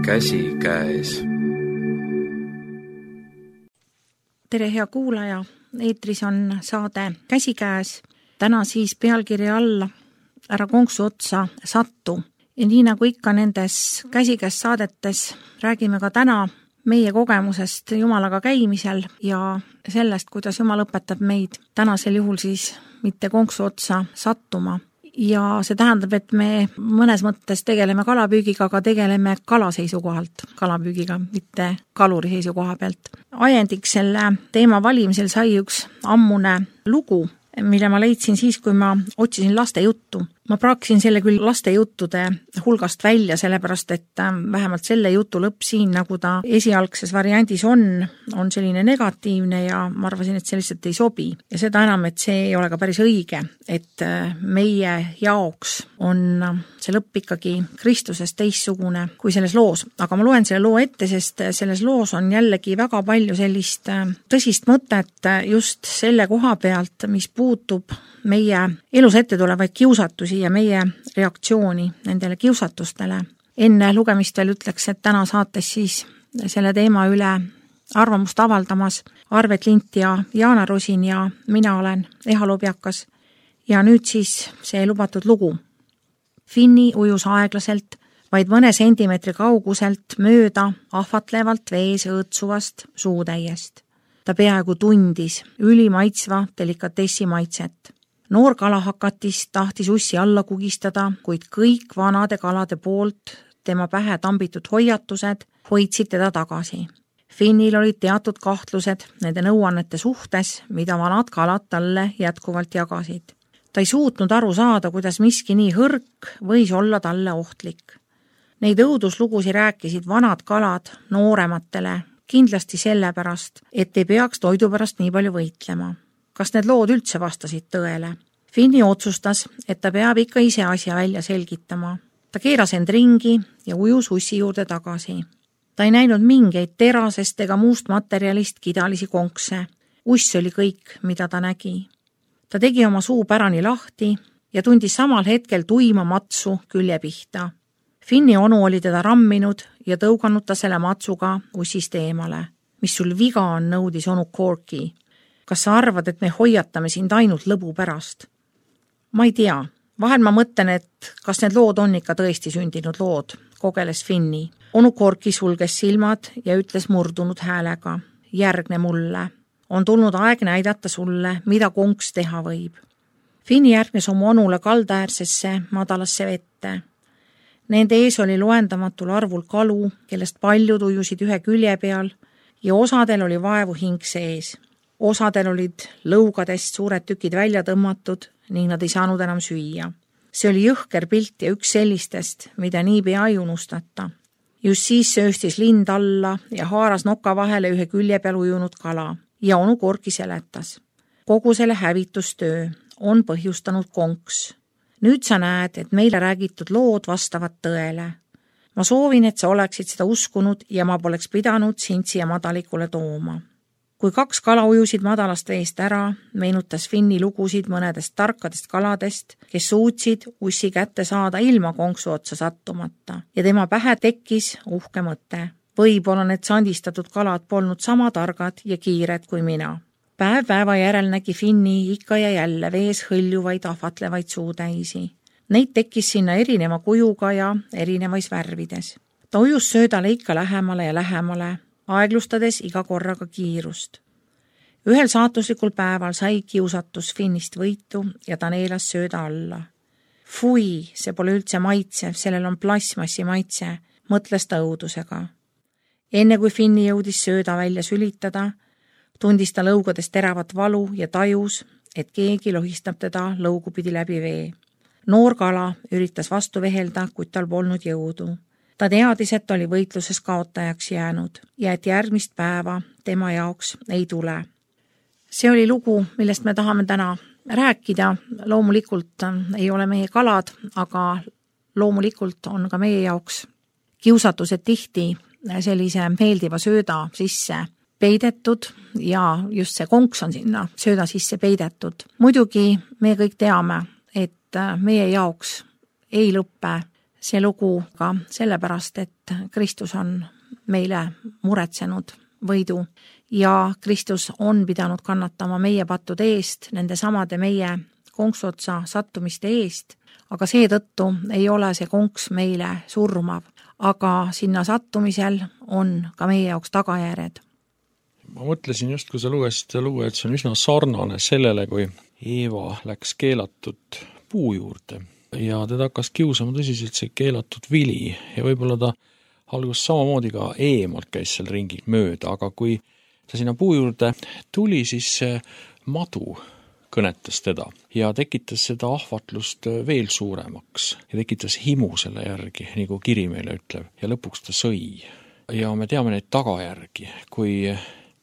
käsikäes. Tere, hea kuulaja! Eetris on saade Käsikäes. Täna siis pealkirja alla Ära konksu otsa sattu. Ja nii nagu ikka nendes käsikäes saadetes räägime ka täna meie kogemusest Jumalaga käimisel ja sellest, kuidas Jumal õpetab meid tänasel juhul siis mitte konksu otsa sattuma. Ja see tähendab, et me mõnes mõttes tegeleme kalapüügiga, aga tegeleme kala seisukohalt, kalapüügiga, mitte kaluri seisukoha pealt. Ajendiks selle teema valimisel sai üks ammune lugu, mille ma leidsin siis, kui ma otsisin laste juttu. Ma praaksin selle küll laste juttude hulgast välja, sellepärast, et vähemalt selle jutu lõpp siin, nagu ta esialgses variandis on selline negatiivne ja ma arvasin, et see lihtsalt ei sobi. Ja seda enam, et see ei ole ka päris õige, et meie jaoks on see lõpp ikkagi Kristusest teistsugune kui selles loos. Aga ma loen selle loo ette, sest selles loos on jällegi väga palju sellist tõsist mõtet just selle koha pealt, mis puutub meie elus ette tulevaid kiusatusi ja meie reaktsiooni nendele kiusatustele. Enne lugemist veel ütleks, et täna saates siis selle teema üle arvamust avaldamas Arvet Lint ja Jaana Rosin ja mina olen Eha Lobjakas. Ja nüüd siis see lubatud lugu. Finni ujus aeglaselt, vaid mõne sentimeetri kauguselt mööda ahvatlevalt vees õõtsuvast suutäiest. Ta peaaegu tundis ülimaitsva delikatessi maitset. Noor kalahakatis tahtis ussi alla kugistada, kuid kõik vanade kalade poolt tema pähe tambitud hoiatused hoidsid teda tagasi. Finnil olid teatud kahtlused nende nõuannete suhtes, mida vanad kalad talle jätkuvalt jagasid. Ta ei suutnud aru saada, kuidas miski nii hõrk võis olla talle ohtlik. Neid õuduslugusi rääkisid vanad kalad noorematele, kindlasti sellepärast, et ei peaks toidu pärast nii palju võitlema. Kas need lood üldse vastasid tõele? Finni otsustas, et ta peab ikka ise asja välja selgitama. Ta keeras end ringi ja ujus ussi juurde tagasi. Ta ei näinud mingeid terasest ega muust materjalist kidalisi konkse. Uss oli kõik, mida ta nägi. Ta tegi oma suu pärani lahti ja tundis samal hetkel tuima matsu külje pihta. Finni onu oli teda ramminud ja tõuganud ta selle matsuga ussist eemale. Mis sul viga on, nõudis onu Corky. Kas sa arvad, et me hoiatame sind ainult lõbu pärast? Ma ei tea. Vahel ma mõtlen, et kas need lood on ikka tõesti sündinud lood, kogeles Finni. Onu Corky sulges silmad ja ütles murdunud häälega. Järgne mulle. On tulnud aeg näidata sulle, mida konks teha võib. Finni järgnes oma onule kaldaäärsesse madalasse vette. Nende ees oli loendamatul arvul kalu, kellest paljud ujusid ühe külje peal ja osadel oli vaevu hing sees. Osadel olid lõugadest suured tükid välja tõmmatud ning nad ei saanud enam süüa. See oli jõhker pilt ja üks sellistest, mida niipea ei unustata. Just siis sööstis lind alla ja haaras noka vahele ühe külje peal ujunud kala ja onu Corky seletas. Kogu selle hävitustöö on põhjustanud konks. Nüüd sa näed, et meile räägitud lood vastavad tõele. Ma soovin, et sa oleksid seda uskunud ja ma poleks pidanud sind siia madalikule tooma. Kui kaks kala ujusid madalast veest ära, meenutas Finni lugusid mõnedest tarkadest kaladest, kes suutsid ussi kätte saada ilma konksu otsa sattumata ja tema pähe tekkis uhke mõte. Võib-olla need sandistatud kalad polnud sama targad ja kiired kui mina. Päev päeva järel nägi Finni ikka ja jälle vees hõljuvaid ahvatlevaid suutäisi. Neid tekkis sinna erineva kujuga ja erinevais värvides. Ta ujus söödale ikka lähemale ja lähemale, aeglustades iga korraga kiirust. Ühel saatuslikul päeval sai kiusatus Finnist võitu ja ta neelas sööda alla. Fui, see pole üldse maitsev, sellel on plasmassi maitse, mõtles ta õudusega. Enne kui Finni jõudis sööda välja sülitada, tundis ta lõugadest teravat valu ja tajus, et keegi lohistab teda lõugupidi läbi vee. Noor kala üritas vastu vehelda, kuid tal polnud jõudu. Ta teadis, et oli võitluses kaotajaks jäänud ja et järgmist päeva tema jaoks ei tule. See oli lugu, millest me tahame täna rääkida. Loomulikult ei ole meie kalad, aga loomulikult on ka meie jaoks kiusatused tihti sellise meeldiva sööda sisse peidetud ja just see konks on sinna sööda sisse peidetud. Muidugi me kõik teame, et meie jaoks ei lõppe see lugu ka sellepärast, et Kristus on meile muretsenud võidu ja Kristus on pidanud kannatama meie pattude eest, nende samade meie konksuotsa sattumiste eest, aga seetõttu ei ole see konks meile surmav, aga sinna sattumisel on ka meie jaoks tagajärjed. Ma mõtlesin just, kui sa lugesid seda lugu, et see on üsna sarnane sellele, kui Eeva läks keelatud puu juurde ja teda hakkas kiusama tõsiselt see keelatud vili ja võib-olla ta algus samamoodi ka eemalt käis seal ringi mööda, aga kui ta sinna puu juurde tuli, siis madu kõnetas teda ja tekitas seda ahvatlust veel suuremaks ja tekitas himu selle järgi, nagu kiri meile ütleb, ja lõpuks ta sõi. Ja me teame neid tagajärgi, kui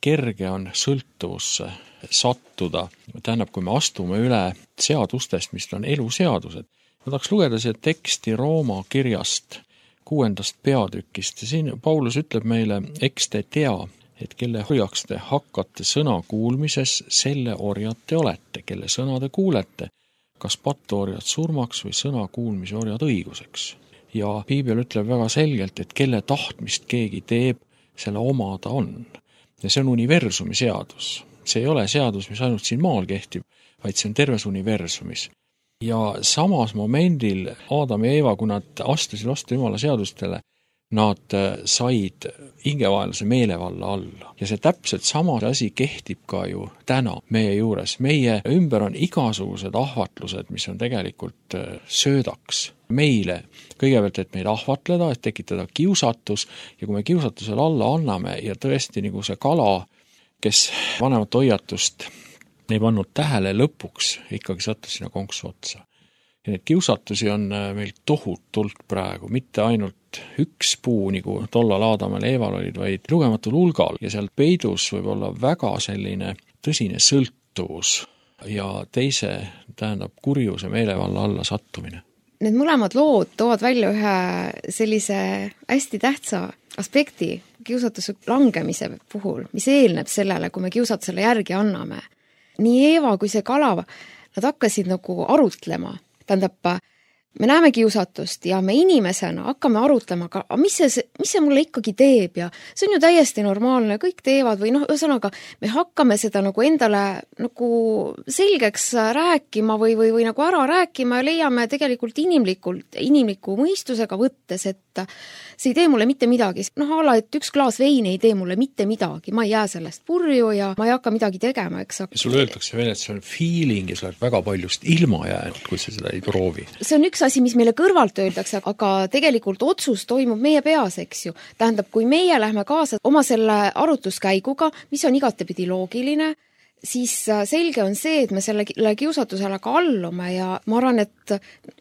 kerge on sõltuvusse sattuda, tähendab, kui me astume üle seadustest, mis on eluseadused. Ma tahaks lugeda seda teksti Rooma kirjast 6. peatükist ja siin Paulus ütleb meile, eks te tea, et kelle orjaks te hakkate sõna kuulmises, selle orjad te olete, kelle sõna te kuulete, kas pattuorjad surmaks või sõna kuulmise orjad õiguseks. Ja Piibel ütleb väga selgelt, et kelle tahtmist keegi teeb, selle oma ta on. Ja see on universumi seadus. See ei ole seadus, mis ainult siin maal kehtib, vaid see on terves universumis. Ja samas momendil Aadam ja Eeva, kui nad astusid vastu Jumala seadustele, nad said hingevaenlase meelevalla alla. Ja see täpselt sama asi kehtib ka ju täna meie juures. Meie ümber on igasugused ahvatlused, mis on tegelikult söödaks meile. Kõigepealt, et meid ahvatleda, et tekitada kiusatus ja kui me kiusatusele alla anname ja tõesti nagu see kala, kes vanemat hoiatust ei pannud tähele, lõpuks ikkagi sattus sinna konksu otsa. Ja neid kiusatusi on meil tohutult praegu, mitte ainult üks puu, nagu tollal Aadamal ja Eeval olid, vaid lugematul hulgal ja seal peidus võib olla väga selline tõsine sõltuvus ja teise tähendab kurjuse meelevalla alla sattumine. Need mõlemad lood toovad välja ühe sellise hästi tähtsa aspekti kiusatuse langemise puhul, mis eelneb sellele, kui me kiusatusele järgi anname. Nii Eeva kui see kala, nad hakkasid nagu arutlema. Tähendab, me näeme kiusatust ja me inimesena hakkame arutlema, aga mis see mulle ikkagi teeb ja see on ju täiesti normaalne, kõik teevad või ühesõnaga me hakkame seda nagu endale nagu selgeks rääkima või nagu ära rääkima ja leiame tegelikult inimliku mõistusega võttes, et see ei tee mulle mitte midagi. Et üks klaas veini ei tee mulle mitte midagi, ma ei jää sellest purju ja ma ei hakka midagi tegema, eks. Sul öeldakse veel, et see on feeling ja sa oled väga paljust ilma jäänud, kui sa seda ei proovi. See on üks asi, mis meile kõrvalt öeldakse, aga tegelikult otsus toimub meie peas, eks ju. Tähendab, kui meie lähme kaasa oma selle arutluskäiguga, mis on igatepidi loogiline, siis selge on see, et me selle kiusatusele ka allume ja ma arvan, et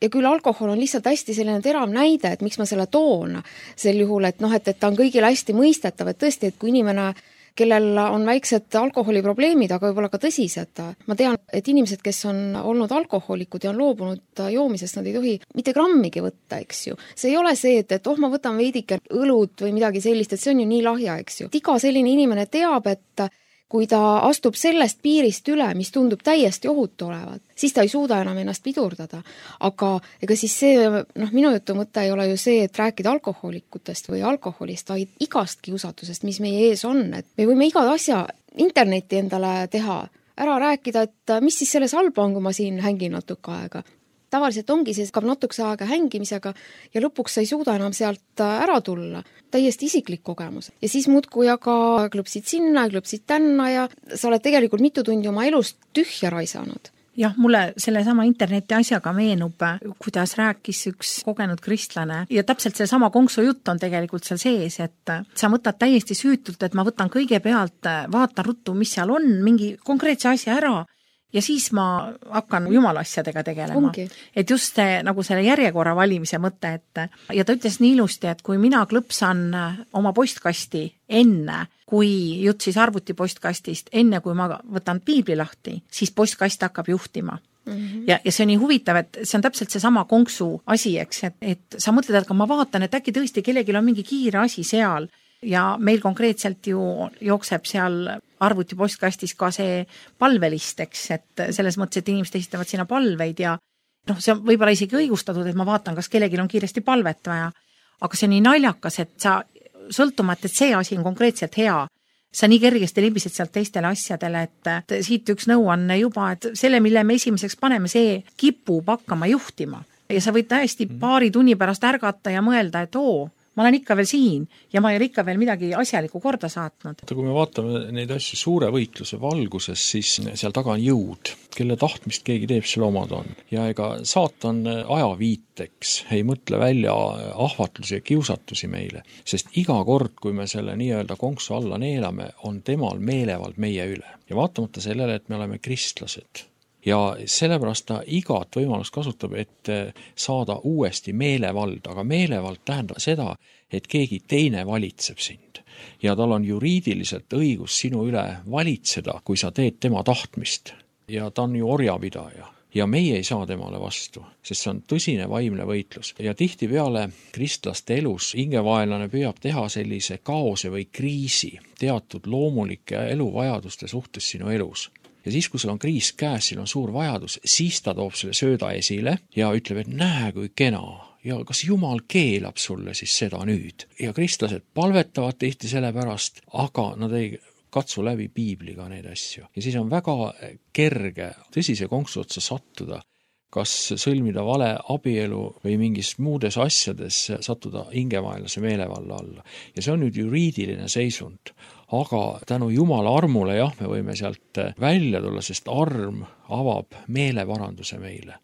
ja küll alkohol on lihtsalt hästi selline terav näide, et miks ma selle toon sel juhul, et ta on kõigile hästi mõistetav, et tõesti, et kui inimene, kellel on väiksed alkoholiprobleemid, aga võib-olla ka tõsised. Ma tean, et inimesed, kes on olnud alkoholikud ja on loobunud joomisest, nad ei tohi mitte grammigi võtta, eks ju. See ei ole see, et ma võtan veidike õlut või midagi sellist, et see on ju nii lahja, eks ju. Iga selline inimene teab, et kui ta astub sellest piirist üle, mis tundub täiesti ohutu olevat, siis ta ei suuda enam ennast pidurdada. Aga ega siis see, minu jutu mõte ei ole ju see, et rääkida alkoholikutest või alkoholist, vaid igast kiusatusest, mis meie ees on. Et me võime iga asja interneti endale teha, ära rääkida, et mis siis selles halba on, kui ma siin hängin natuke aega. Tavaliselt ongi see hakkab natukese aega hängimisega ja lõpuks sa ei suuda enam sealt ära tulla. Täiesti isiklik kogemus. Ja siis muudkui aga klõpsid sinna, klõpsid tänna ja sa oled tegelikult mitu tundi oma elust tühja raisanud. Jah, mulle selle sama interneti asjaga meenub, kuidas rääkis üks kogenud kristlane ja täpselt see sama konksu jutt on tegelikult seal sees, et sa võtad täiesti süütult, et ma võtan kõigepealt, vaatan ruttu, mis seal on, mingi konkreetse asja ära ja siis ma hakkan jumala asjadega tegelema. Et just see, nagu selle järjekorra valimise mõte, et ja ta ütles nii ilusti, et kui mina klõpsan oma postkasti enne, kui jutt siis arvuti postkastist, enne kui ma võtan piibli lahti, siis postkast hakkab juhtima. Ja see on nii huvitav, et see on täpselt see sama konksu asi, eks, et sa mõtled, et ma vaatan, et äkki tõesti kellelgi on mingi kiire asi seal ja meil konkreetselt ju jookseb seal arvuti postkastis ka see palvelist, eks, et selles mõttes, et inimesed esitavad sinna palveid ja see on võib-olla isegi õigustatud, et ma vaatan, kas kellelgi on kiiresti palvet vaja, aga see on nii naljakas, et sa sõltumata, et see asi on konkreetselt hea, sa nii kergesti libised sealt teistele asjadele, et siit üks nõuanne juba, et selle, mille me esimeseks paneme, see kipub hakkama juhtima. Ja sa võid täiesti paari tunni pärast ärgata ja mõelda, et ma olen ikka veel siin ja ma ei ole ikka veel midagi asjalikku korda saatnud. Kui me vaatame neid asju suure võitluse valguses, siis seal taga on jõud, kelle tahtmist keegi teeb, selle omad on. Ja ega saatan ajaviiteks ei mõtle välja ahvatlusi ja kiusatusi meile, sest iga kord, kui me selle nii-öelda konksu alla neelame, on temal meelevald meie üle. Ja vaatamata sellele, et me oleme kristlased. Ja sellepärast ta igat võimalust kasutab, et saada uuesti meelevald, aga meelevald tähendab seda, et keegi teine valitseb sind. Ja tal on juriidiliselt õigus sinu üle valitseda, kui sa teed tema tahtmist. Ja ta on ju orjapidaja. Ja meie ei saa temale vastu, sest see on tõsine vaimne võitlus. Ja tihtipeale kristlaste elus hingevaenlane püüab teha sellise kaose või kriisi teatud loomulike eluvajaduste suhtes sinu elus. Ja siis, kui sul on kriis käes, sul on suur vajadus, siis ta toob selle sööda esile ja ütleb, et näe, kui kena. Ja kas Jumal keelab sulle siis seda nüüd? Ja kristlased palvetavad tihti selle pärast, aga nad ei katsu läbi piibliga neid asju. Ja siis on väga kerge tõsise konksu otsa sattuda, kas sõlmida vale abielu või mingis muudes asjades sattuda hingevaenlase meelevalla alla. Ja see on nüüd juriidiline seisund. Aga tänu Jumala armule, me võime sealt välja tulla, sest arm avab meelevaranduse meile.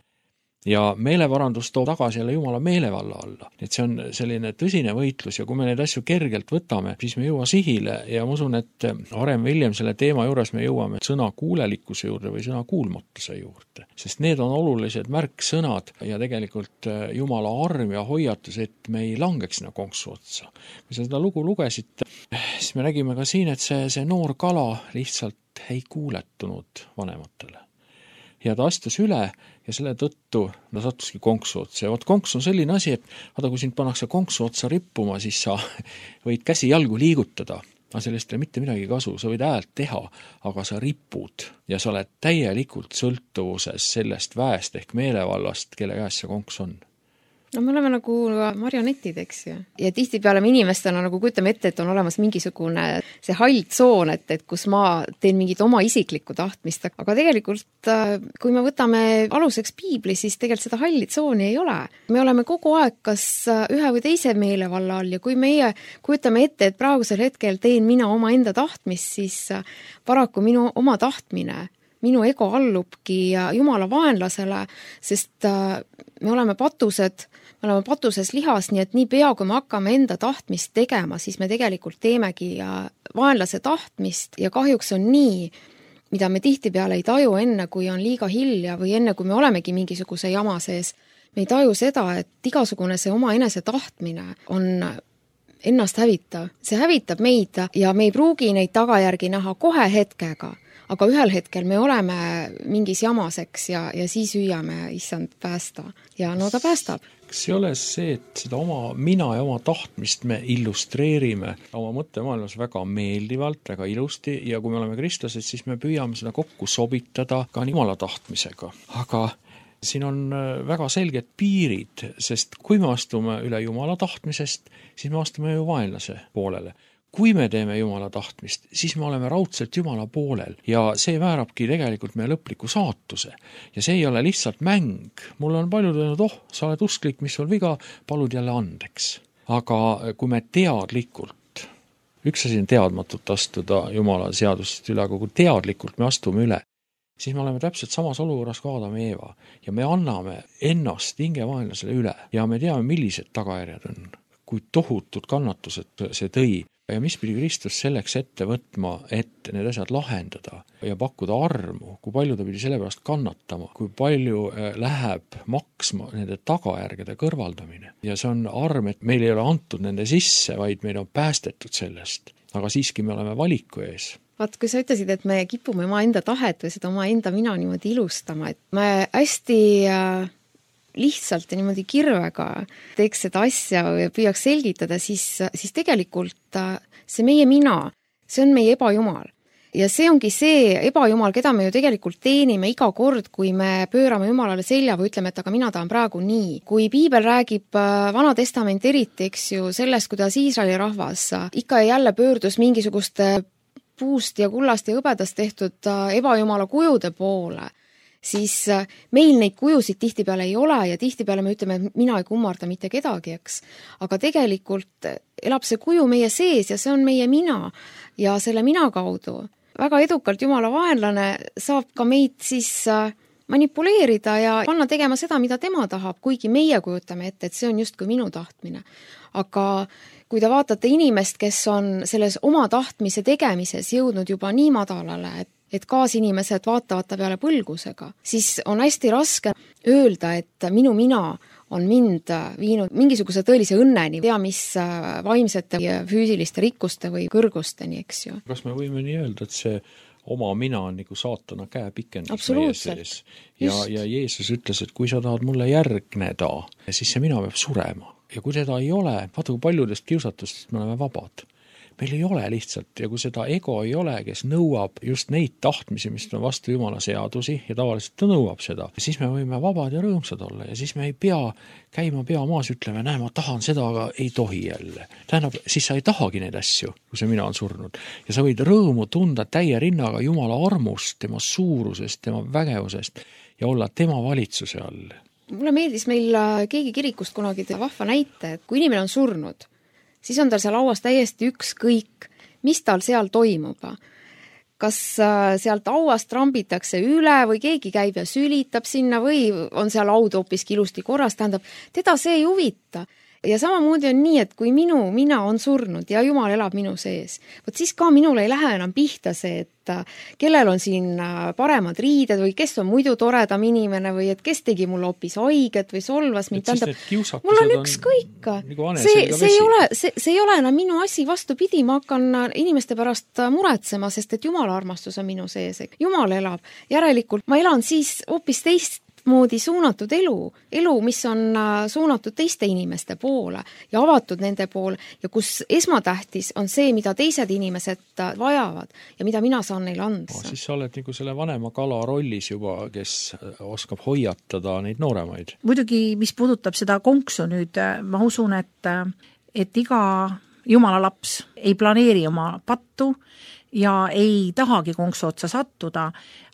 Ja meelevarandus toob tagasi jälle Jumala meelevalla alla. Et see on selline tõsine võitlus ja kui me neid asju kergelt võtame, siis me jõua sihile ja ma usun, et varem või hiljem selle teema juures me jõuame sõna kuulelikkuse juurde või sõna kuulmatuse juurde. Sest need on olulised märksõnad ja tegelikult Jumala arm ja hoiatus, et me ei langeks sinna konksu otsa. Kui sa seda lugu lugesid, siis me nägime ka siin, et see noor kala lihtsalt ei kuuletunud vanematele. Ja ta astus üle ja selle tõttu ta sattuski konksu otsa. Ja konks on selline asi, et kui sind pannakse konksu otsa rippuma, siis sa võid käsi jalgu liigutada. Aga sellest ei ole mitte midagi kasu, sa võid häält teha, aga sa ripud ja sa oled täielikult sõltuvuses sellest väest ehk meelevallast, kelle käes see konks on. No me oleme nagu marionetid, eks ju. Ja tihtipeale me inimestena nagu kujutame ette, et on olemas mingisugune see hall tsoon, et kus ma teen mingit oma isiklikku tahtmist. Aga tegelikult, kui me võtame aluseks piibli, siis tegelikult seda halli tsooni ei ole. Me oleme kogu aeg kas ühe või teise meelevalla all ja kui meie kujutame ette, et praegusel hetkel teen mina oma enda tahtmist, siis paraku minu oma tahtmine, minu ego allubki Jumala vaenlasele, sest me oleme patuses lihas, nii et nii pea, kui me hakkame enda tahtmist tegema, siis me tegelikult teemegi vaenlase tahtmist ja kahjuks on nii, mida me tihtipeale ei taju enne, kui on liiga hilja või enne, kui me olemegi mingisuguse jama sees. Me ei taju seda, et igasugune see oma enese tahtmine on ennast hävitav. See hävitab meid ja me ei pruugi neid tagajärgi näha kohe hetkega. Aga ühel hetkel me oleme mingis jamaseks ja siis hüüame, issand päästa. Ja no ta päästab. Kas ei ole see, et seda oma mina ja oma tahtmist me illustreerime oma mõttemaailmas väga meeldivalt, väga ilusti ja kui me oleme kristlased, siis me püüame seda kokku sobitada ka Jumala tahtmisega. Aga siin on väga selged piirid, sest kui me astume üle Jumala tahtmisest, siis me astume ju vaenlase poolele. Kui me teeme Jumala tahtmist, siis me oleme raudselt Jumala poolel ja see määrabki tegelikult meie lõpliku saatuse. Ja see ei ole lihtsalt mäng. Mul on paljud öelnud, sa oled usklik, mis sul viga, palud jälle andeks. Aga kui me teadlikult, üks asi on teadmatult astuda Jumala seadusest üle, aga kui teadlikult me astume üle, siis me oleme täpselt samas olukorras kui Adam ja Eeva ja me anname ennast hingevaenlasele üle ja me teame, millised tagajärjed on, kui tohutud kannatused see tõi. Ja mis pidi Kristus selleks ette võtma, et need asjad lahendada ja pakkuda armu, kui palju ta pidi selle pärast kannatama, kui palju läheb maksma nende tagajärgede kõrvaldamine. Ja see on arm, et meil ei ole antud nende sisse, vaid meil on päästetud sellest. Aga siiski me oleme valiku ees. Vaat, kui sa ütlesid, et me kipume oma enda tahet või seda oma enda mina niimoodi ilustama, et me hästi lihtsalt ja niimoodi kirvega teeks seda asja ja püüaks selgitada, siis tegelikult see meie mina, see on meie ebajumal. ja see ongi see ebajumal, keda me ju tegelikult teenime iga kord, kui me pöörame Jumalale selja või ütleme, et aga mina tahan praegu nii. Kui piibel räägib Vana Testament eriti, eks ju, sellest, kuidas Iisraeli rahvas ikka ja jälle pöördus mingisuguste puust ja kullast ja hõbedast tehtud ebajumala kujude poole, siis meil neid kujusid tihtipeale ei ole ja tihtipeale me ütleme, et mina ei kummarda mitte kedagi, eks. Aga tegelikult elab see kuju meie sees ja see on meie mina ja selle mina kaudu väga edukalt Jumala vaenlane saab ka meid siis manipuleerida ja panna tegema seda, mida tema tahab, kuigi meie kujutame ette, et see on justkui minu tahtmine. Aga kui te vaatate inimest, kes on selles oma tahtmise tegemises jõudnud juba nii madalale, et kaasinimesed vaatavad ta peale põlgusega, siis on hästi raske öelda, et minu mina on mind viinud mingisuguse tõelise õnneni, tea mis vaimsete ja füüsiliste rikkuste või kõrgusteni, eks ju. Kas me võime nii öelda, et see oma mina on nagu saatana käepikendus meie sees? Ja Jeesus ütles, et kui sa tahad mulle järgneda, siis see mina peab surema. Ja kui seda ei ole, vaata kui paljudest kiusatustest me oleme vabad. Meil ei ole lihtsalt ja kui seda ego ei ole, kes nõuab just neid tahtmisi, mis on vastu Jumala seadusi ja tavaliselt ta nõuab seda, siis me võime vabad ja rõõmsad olla ja siis me ei pea käima pea maas ütlema, näe, ma tahan seda, aga ei tohi jälle. Tähendab, siis sa ei tahagi neid asju, kui see mina on surnud. Ja sa võid rõõmu tunda täie rinnaga Jumala armust, tema suurusest, tema vägevusest ja olla tema valitsuse all. Mulle meeldis meil keegi kirikust kunagi vahva näite, et kui inimene on surnud, siis on tal seal lauas täiesti ükskõik, mis tal seal toimub. Kas sealt auast trambitakse üle või keegi käib ja sülitab sinna või on seal laud hoopiski ilusti korras, tähendab, teda see ei huvita. Ja samamoodi on nii, et kui mina on surnud ja Jumal elab minu sees, võt siis ka minul ei lähe enam pihta see, et kellel on siin paremad riided või kes on muidu toredam inimene või et kes tegi mul hoopis haiget või solvas mind, tähendab, mul on ükskõik. See ei ole enam minu asi, vastupidi, ma hakkan inimeste pärast muretsema, sest et Jumala armastus on minu sees. Jumal elab, järelikult ma elan siis hoopis moodi suunatud elu, mis on suunatud teiste inimeste poole ja avatud nende poole ja kus esmatähtis on see, mida teised inimesed vajavad ja mida mina saan neile anda. Siis sa oled nagu selle vanema kala rollis juba, kes oskab hoiatada neid nooremaid. Muidugi, mis puudutab seda konksu nüüd, ma usun, et iga Jumala laps ei planeeri oma pattu ja ei tahagi konksu otsa sattuda,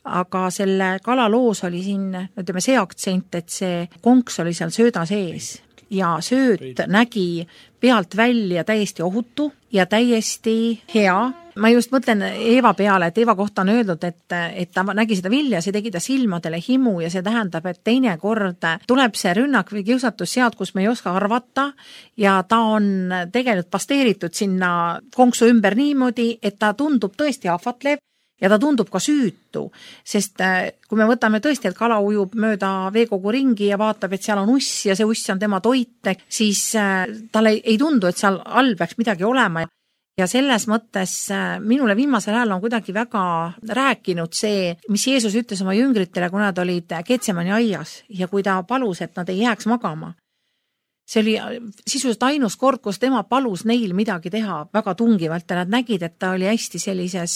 aga selle kalaloos oli siin, ütleme, see aktsent, et see konks oli seal sööda sees ja sööt nägi pealt välja täiesti ohutu ja täiesti hea. Ma just mõtlen Eeva peale, et Eeva kohta on öeldud, et ta nägi seda vilja, see tegi ta silmadele himu ja see tähendab, et teine kord tuleb see rünnak või kiusatus sealt, kus me ei oska arvata ja ta on tegelikult pasteeritud sinna konksu ümber niimoodi, et ta tundub tõesti ahvatlev ja ta tundub ka süütu, sest kui me võtame tõesti, et kala ujub mööda veekogu ringi ja vaatab, et seal on uss ja see uss on tema toit, siis talle ei tundu, et seal all peaks midagi olema. Ja selles mõttes minule viimasel ajal on kuidagi väga rääkinud see, mis Jeesus ütles oma jüngritele, kui nad olid Getsemani aias ja kui ta palus, et nad ei jääks magama. See oli sisuliselt ainus kord, kus tema palus neil midagi teha väga tungivalt ja nad nägid, et ta oli hästi sellises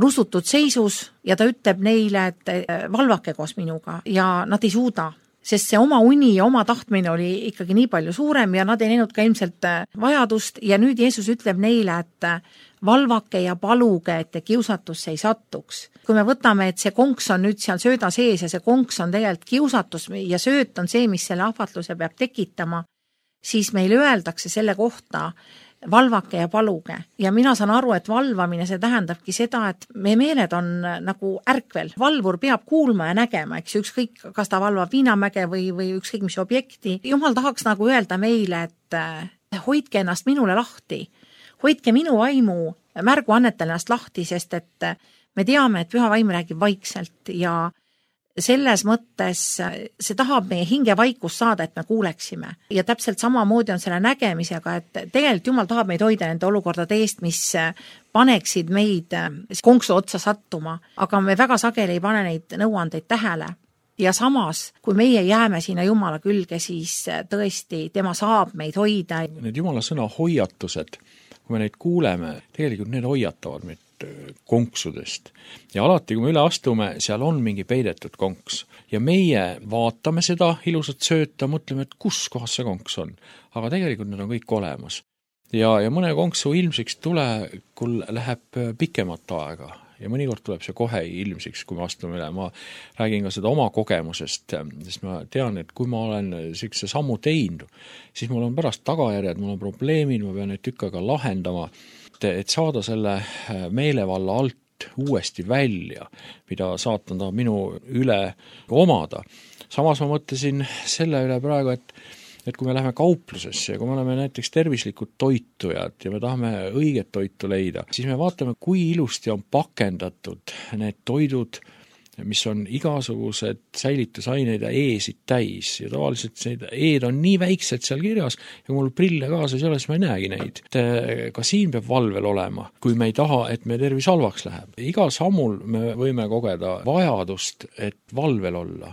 rusutud seisus ja ta ütleb neile, et valvake koos minuga ja nad ei suuda. Sest see oma uni ja oma tahtmine oli ikkagi nii palju suurem ja nad ei näinud ka ilmselt vajadust ja nüüd Jeesus ütleb neile, et valvake ja paluge, et kiusatusse ei sattuks. Kui me võtame, et see konks on nüüd seal sööda sees ja see konks on tegelikult kiusatus ja sööt on see, mis selle ahvatluse peab tekitama, siis meile öeldakse selle kohta valvake ja paluge. Ja mina saan aru, et valvamine, see tähendabki seda, et meie meeled on nagu ärkvel. Valvur peab kuulma ja nägema, eks ükskõik, kas ta valvab viinamäge või ükskõik mis objekti. Jumal tahaks nagu öelda meile, et hoidke ennast minule lahti. Hoidke minu vaimu, märgu annetel ennast lahti, sest et me teame, et püha vaim räägib vaikselt ja selles mõttes see tahab meie hinge vaikust saada, et me kuuleksime. Ja täpselt samamoodi on selle nägemisega, et tegelikult Jumal tahab meid hoida nende olukordade eest, mis paneksid meid konksu otsa sattuma, aga me väga sageli ei pane neid nõuandeid tähele. Ja samas, kui meie jääme sinna Jumala külge, siis tõesti tema saab meid hoida. Need Jumala sõna hoiatused, kui me neid kuuleme, tegelikult need hoiatavad meid konksudest. Ja alati, kui me üle astume, seal on mingi peidetud konks. Ja meie vaatame seda ilusat sööta, mõtleme, et kus kohas see konks on. Aga tegelikult need on kõik olemas. Ja mõne konksu ilmsiks tulekul läheb pikemat aega. Ja mõnikord tuleb see kohe ilmsiks, kui me astume üle. Ma räägin ka seda oma kogemusest, sest ma tean, et kui ma olen sellise sammu teinud, siis mul on pärast tagajärjed, mul on probleemid, ma pean neid tükk aega lahendama, et saada selle meelevalla alt uuesti välja, mida saatan tahab minu üle omada. Samas ma mõtlesin selle üle praegu, et kui me läheme kauplusesse ja kui me oleme näiteks tervislikud toitujad ja me tahame õiget toitu leida, siis me vaatame, kui ilusti on pakendatud need toidud, mis on igasugused säilitusaineid ja E-sid täis. Ja tavaliselt need E-d on nii väiksed seal kirjas ja kui mul prille kaasas ei ole, siis ma ei näegi neid. Ka siin peab valvel olema, kui me ei taha, et me tervis halvaks läheb. Igal sammul me võime kogeda vajadust, et valvel olla.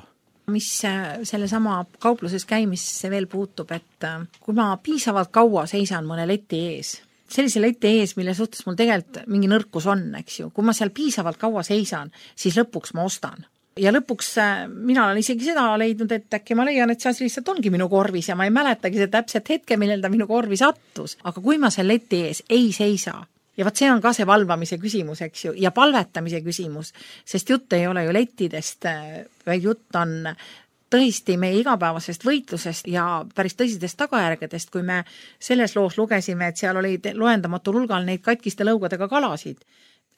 Mis selle sama kaupluses käimisse veel puutub, et kui ma piisavalt kaua seisan mõne leti ees, sellise leti ees, mille suhtes mul tegelikult mingi nõrkus on, eks ju, kui ma seal piisavalt kaua seisan, siis lõpuks ma ostan. Ja lõpuks mina olen isegi seda leidnud, et äkki ma leian, et see asi lihtsalt ongi minu korvis ja ma ei mäletagi see täpselt hetke, millel ta minu korvi sattus. Aga kui ma seal leti ees ei seisa, ja vaat see on ka see valvamise küsimus, eks ju, ja palvetamise küsimus, sest jutt ei ole ju lettidest, vaid jutt on tõesti meie igapäevasest võitlusest ja päris tõsistest tagajärgedest, kui me selles loos lugesime, et seal oli loendamatul hulgal neid katkiste lõugadega kalasid.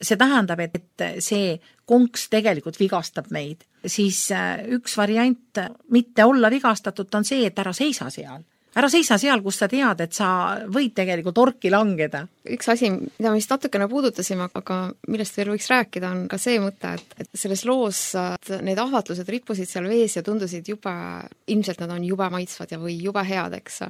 See tähendab, et see konks tegelikult vigastab meid. Siis üks variant mitte olla vigastatud on see, et ära seisa seal. Ära seisa seal, kus sa tead, et sa võid tegelikult orki langeda. Üks asi, mida me vist natukene puudutasime, aga millest veel võiks rääkida, on ka see mõte, et selles loos need ahvatlused rippusid seal vees ja tundusid ilmselt nad on jube maitsvad ja või jube head, eks.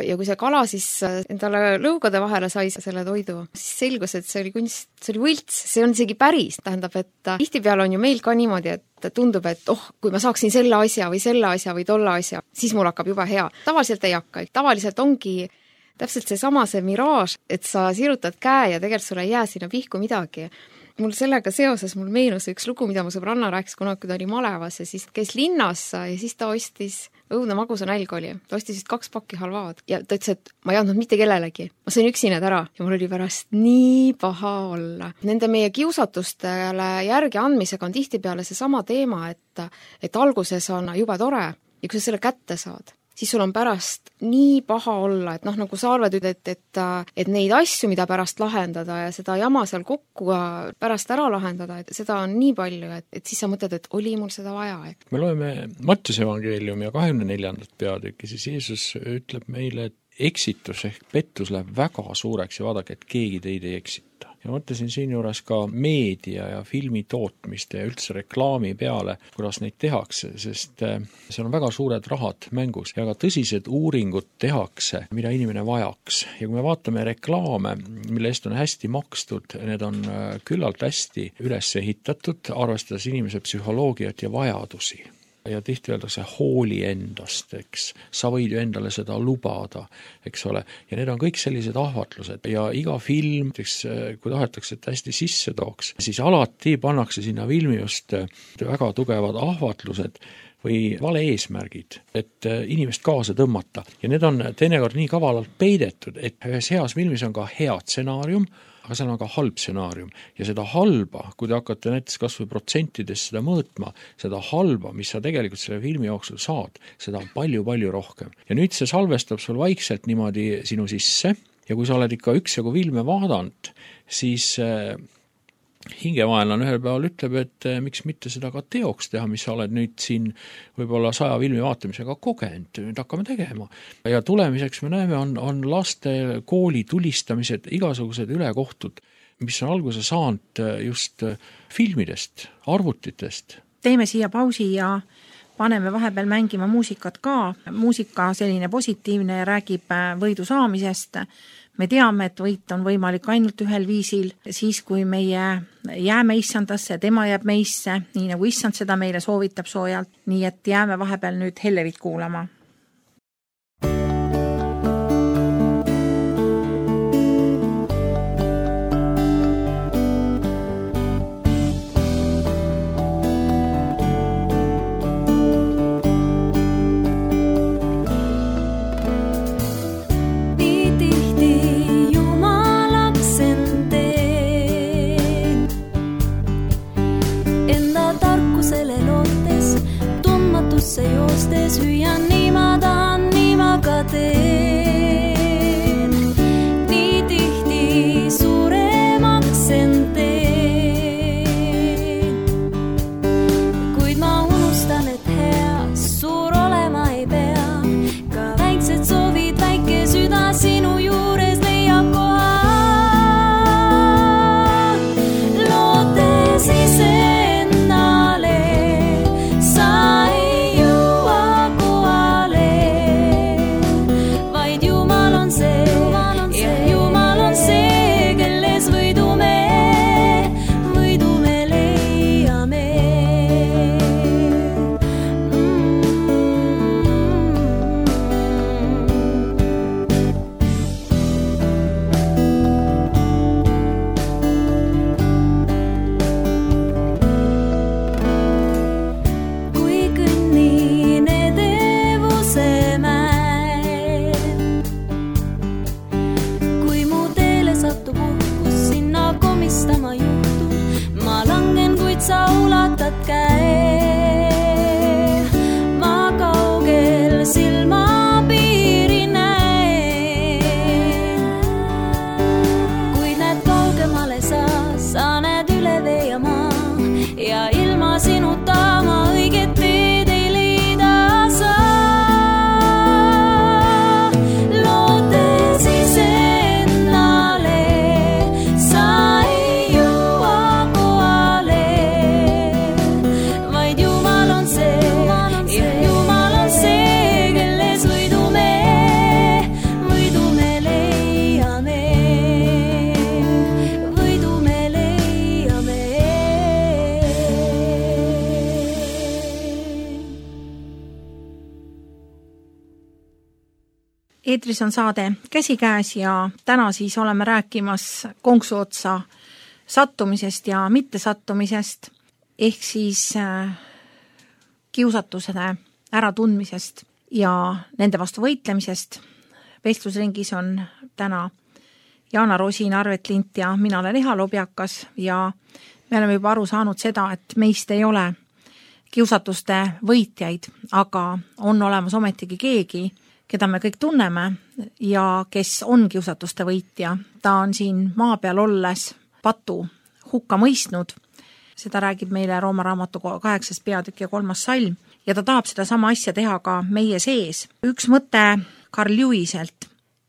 Ja kui see kala siis endale lõugade vahele sai selle toidu, siis selgus, et see oli kunst, see oli võlts, see on isegi päris. Tähendab, et tihtipeale on ju meil ka niimoodi, et tundub, et kui ma saaksin selle asja või tolle asja, siis mul hakkab juba hea. Tavaliselt ei hakka. Tavaliselt ongi täpselt see miraaž, et sa sirutad käe ja tegelikult sulle ei jää sinna pihku midagi. Mul sellega seoses meenus üks lugu, mida mu sõbranna rääkis kunagi, kui ta oli malevas ja siis käis linnas ja siis ta ostis õudne magusa nälg oli. Ta ostis 2 pakki halvaad ja ta ütles, et ma ei andnud mitte kellelegi. Ma sain üksi need ära ja mul oli pärast nii paha olla. Nende meie kiusatustele järgi andmisega on tihtipeale see sama teema, et alguses on jube tore ja kui sa selle kätte saad, siis sul on pärast nii paha olla, et nagu sa arvad, et neid asju, mida pärast lahendada ja seda jama seal kokku pärast ära lahendada, et seda on nii palju, et siis sa mõtled, et oli mul seda vaja. Me loeme Mattiuse evangeeliumi ja 24. peatükki, siis Jeesus ütleb meile, et eksitus ehk pettus läheb väga suureks ja vaadake, et keegi teid ei eksita. Ja mõtlesin siin juures ka meedia ja filmi tootmiste ja üldse reklaami peale, kuidas neid tehakse, sest seal on väga suured rahad mängus ja ka tõsised uuringud tehakse, mida inimene vajaks. Ja kui me vaatame reklaame, mille eest on hästi makstud, need on küllalt hästi üles ehitatud, arvestades inimese psühholoogiat ja vajadusi. Ja tihti öeldakse hooli endast, eks. Sa võid ju endale seda lubada, eks ole. Ja need on kõik sellised ahvatlused. Ja iga film, kui tahetakse, et hästi sisse tooks, siis alati pannakse sinna filmi just väga tugevad ahvatlused või vale eesmärgid, et inimest kaasa tõmmata. Ja need on teinekord nii kavalalt peidetud, et ühes heas filmis on ka hea stsenaarium, aga seal on ka halb stsenaarium. Ja seda halba, kui te hakkate näiteks kas või protsentides seda mõõtma, seda halba, mis sa tegelikult selle filmi jooksul saad, seda on palju-palju rohkem. Ja nüüd see salvestab sul vaikselt niimoodi sinu sisse ja kui sa oled ikka üksjagu filme vaadanud, siis hingevaenlane ühel päeval ütleb, et miks mitte seda ka teoks teha, mis sa oled nüüd siin võib-olla 100 filmi vaatamisega kogenud, nüüd hakkame tegema. Ja tulemiseks me näeme, on laste kooli tulistamised, igasugused ülekohtud, mis on alguse saanud just filmidest, arvutitest. Teeme siia pausi ja paneme vahepeal mängima muusikat ka. Muusika selline positiivne ja räägib võidu saamisest. Me teame, et võit on võimalik ainult ühel viisil, siis kui meie jääme issandasse, tema jääb meisse, nii nagu issand seda meile soovitab soojalt, nii et jääme vahepeal nüüd Hellerit kuulama. Eetris on saade Käsikäes ja täna siis oleme rääkimas konksuotsa sattumisest ja mittesattumisest, ehk siis kiusatuse äratundmisest ja nende vastu võitlemisest. Vestlusringis on täna Jaana Rosin, Arvet Lint ja mina olen Eha Lobjakas ja me oleme juba aru saanud seda, et meist ei ole kiusatuste võitjaid, aga on olemas ometigi keegi, keda me kõik tunneme ja kes on kiusatuste võitja. Ta on siin maa peal olles patu hukka mõistnud. Seda räägib meile Rooma raamatu 8. peatükk ja 3. salm ja ta tahab seda sama asja teha ka meie sees. Üks mõte Carl Lewiselt.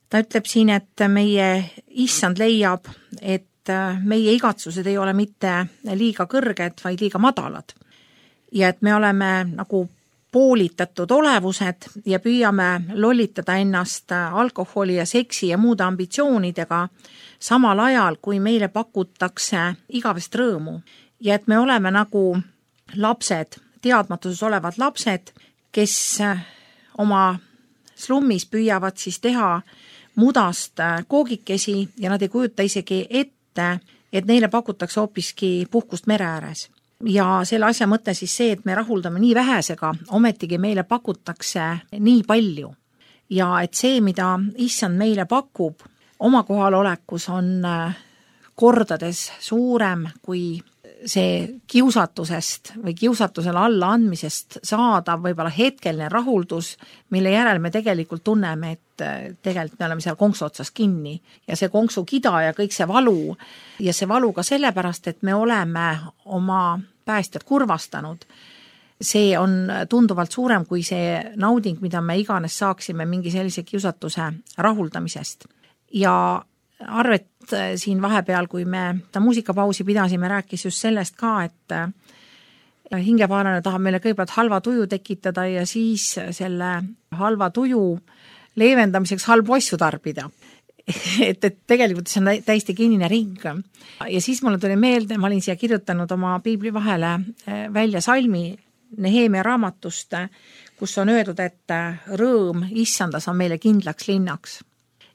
Ta ütleb siin, et meie issand leiab, et meie igatsused ei ole mitte liiga kõrged, vaid liiga madalad. Ja et me oleme nagu poolitatud olevused ja püüame lollitada ennast alkoholi ja seksi ja muude ambitsioonidega samal ajal, kui meile pakutakse igavest rõõmu. Ja et me oleme nagu lapsed, teadmatuses olevad lapsed, kes oma slummis püüavad siis teha mudast koogikesi ja nad ei kujuta isegi ette, et neile pakutakse hoopiski puhkust mere ääres. Ja selle asja mõte siis see, et me rahuldame nii vähesega, ometigi meile pakutakse nii palju. Ja et see, mida issand meile pakub, oma kohalolekus on kordades suurem kui see kiusatusest või kiusatusele alla andmisest saadav võib-olla hetkeline rahuldus, mille järel me tegelikult tunneme, et tegelikult me oleme seal konksu otsas kinni ja see konksu kida ja kõik see valu ja see valu ka sellepärast, et me oleme oma päästjad kurvastanud. See on tunduvalt suurem kui see nauding, mida me iganes saaksime mingi sellise kiusatuse rahuldamisest. Ja Arvet siin vahepeal, kui me ta muusikapausi pidasime, rääkis just sellest ka, et hingepaalane tahab meile kõigepealt halva tuju tekitada ja siis selle halva tuju leevendamiseks halbu asju tarbida. et tegelikult see on täiesti kinnine ring. Ja siis mulle tuli meelde, ma olin siia kirjutanud oma piibli vahele välja salmi Nehemia raamatust, kus on öeldud, et rõõm issandas on meile kindlaks linnaks.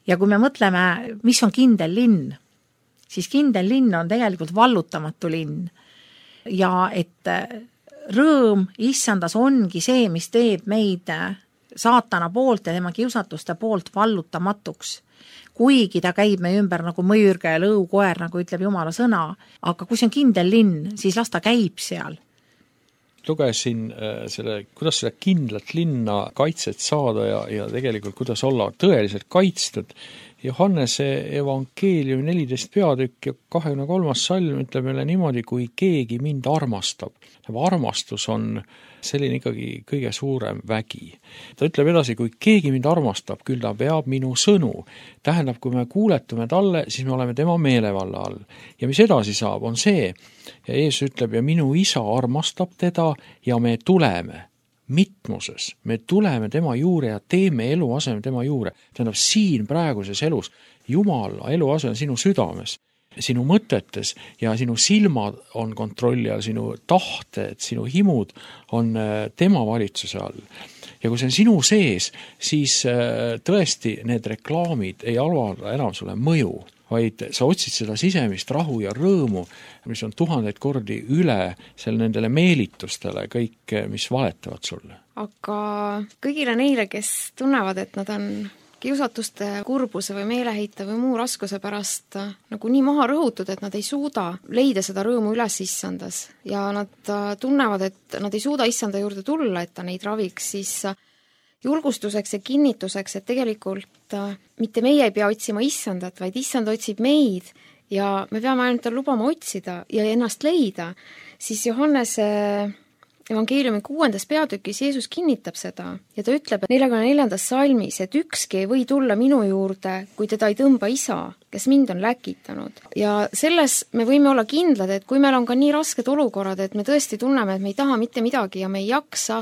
Ja kui me mõtleme, mis on kindel linn, siis kindel linn on tegelikult vallutamatu linn. Ja et rõõm issandas ongi see, mis teeb meid saatana poolt ja tema kiusatuste poolt vallutamatuks. Kuigi ta käib meie ümber nagu mõjürge ja lõukoer, nagu ütleb Jumala sõna, aga kui see on kindel linn, siis las ta käib seal. Lugesin kuidas seda kindlat linna kaitset saada ja tegelikult kuidas olla tõeliselt kaitstud. Johannese evangeeliumi 14 peatükk ja 23. salm ütleb meile niimoodi, kui keegi mind armastab. Armastus on selline ikkagi kõige suurem vägi. Ta ütleb edasi, kui keegi mind armastab, küll ta peab minu sõnu. Tähendab, kui me kuuletume talle, siis me oleme tema meelevalla all. Ja mis edasi saab, on see, ja Jeesus ütleb, ja minu isa armastab teda ja me tuleme mitmuses. Me tuleme tema juurde ja teeme eluaseme tema juurde. Tähendab, siin praeguses elus Jumala eluaseme sinu südames, sinu mõtetes ja sinu silmad on kontrolli all, sinu tahted, sinu himud on tema valitsuse all. Ja kui see on sinu sees, siis tõesti need reklaamid ei avalda enam sulle mõju, vaid sa otsid seda sisemist rahu ja rõõmu, mis on 1000 kordi üle nendele meelitustele kõik, mis valetavad sulle. Aga kõigile neile, kes tunnevad, et nad on kiusatuste, kurbuse või meeleheite või muu raskuse pärast nagu nii maha rõhutud, et nad ei suuda leida seda rõõmu üles issandas ja nad tunnevad, et nad ei suuda issanda juurde tulla, et ta neid raviks, siis julgustuseks ja kinnituseks, et tegelikult mitte meie ei pea otsima issandat, vaid issand otsib meid ja me peame ainult tal lubama otsida ja ennast leida, siis Johannese evangeeliumi 6. peatükis Jeesus kinnitab seda ja ta ütleb 44. salmis, et ükski ei või tulla minu juurde, kui teda ei tõmba isa, kes mind on läkitanud. Ja selles me võime olla kindlad, et kui meil on ka nii rasked olukorrad, et me tõesti tunneme, et me ei taha mitte midagi ja me ei jaksa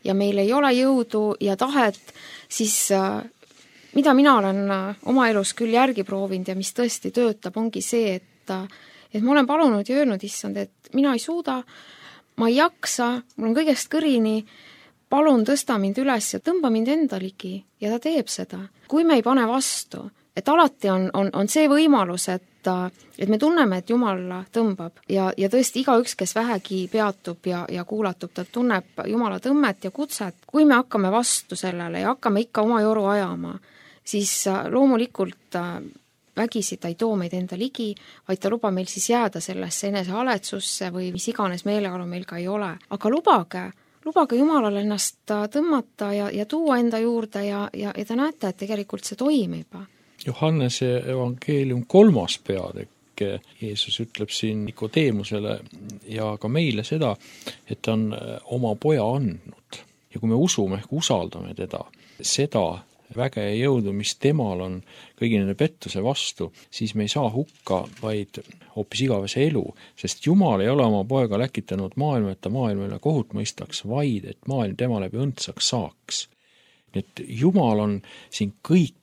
ja meil ei ole jõudu ja tahet, siis mida mina olen oma elus küll järgi proovinud ja mis tõesti töötab, ongi see, et ma olen palunud ja öelnud issand, et mina ei suuda, ma ei jaksa, mul on kõigest kõrini, palun tõsta mind üles ja tõmba mind enda ligi ja ta teeb seda. Kui me ei pane vastu, et alati on see võimalus, et me tunneme, et Jumal tõmbab ja tõesti igaüks, kes vähegi peatub ja kuulatub, ta tunneb Jumala tõmmet ja kutset. Kui me hakkame vastu sellele ja hakkame ikka oma joru ajama, siis loomulikult vägisi ta ei too meid enda ligi, vaid ta lubab meil siis jääda sellesse enesehaletsusse või mis iganes meeleolu meil ka ei ole. Aga lubage Jumalal ennast tõmmata ja tuua enda juurde ja te näete, et tegelikult see toimib. Johannese evangeelium 3. peatükk Jeesus ütleb siin Nikodeemusele ja ka meile seda, et ta on oma poja andnud. Ja kui me usume ehk usaldame teda, seda väge ja jõudu, mis temal on kõigi nende pettuse vastu, siis me ei saa hukka, vaid hoopis igavese elu, sest Jumal ei ole oma poega läkitanud maailma, et ta maailmale kohut mõistaks, vaid et maailm tema läbi õndsaks saaks. Nii et Jumal on siin kõik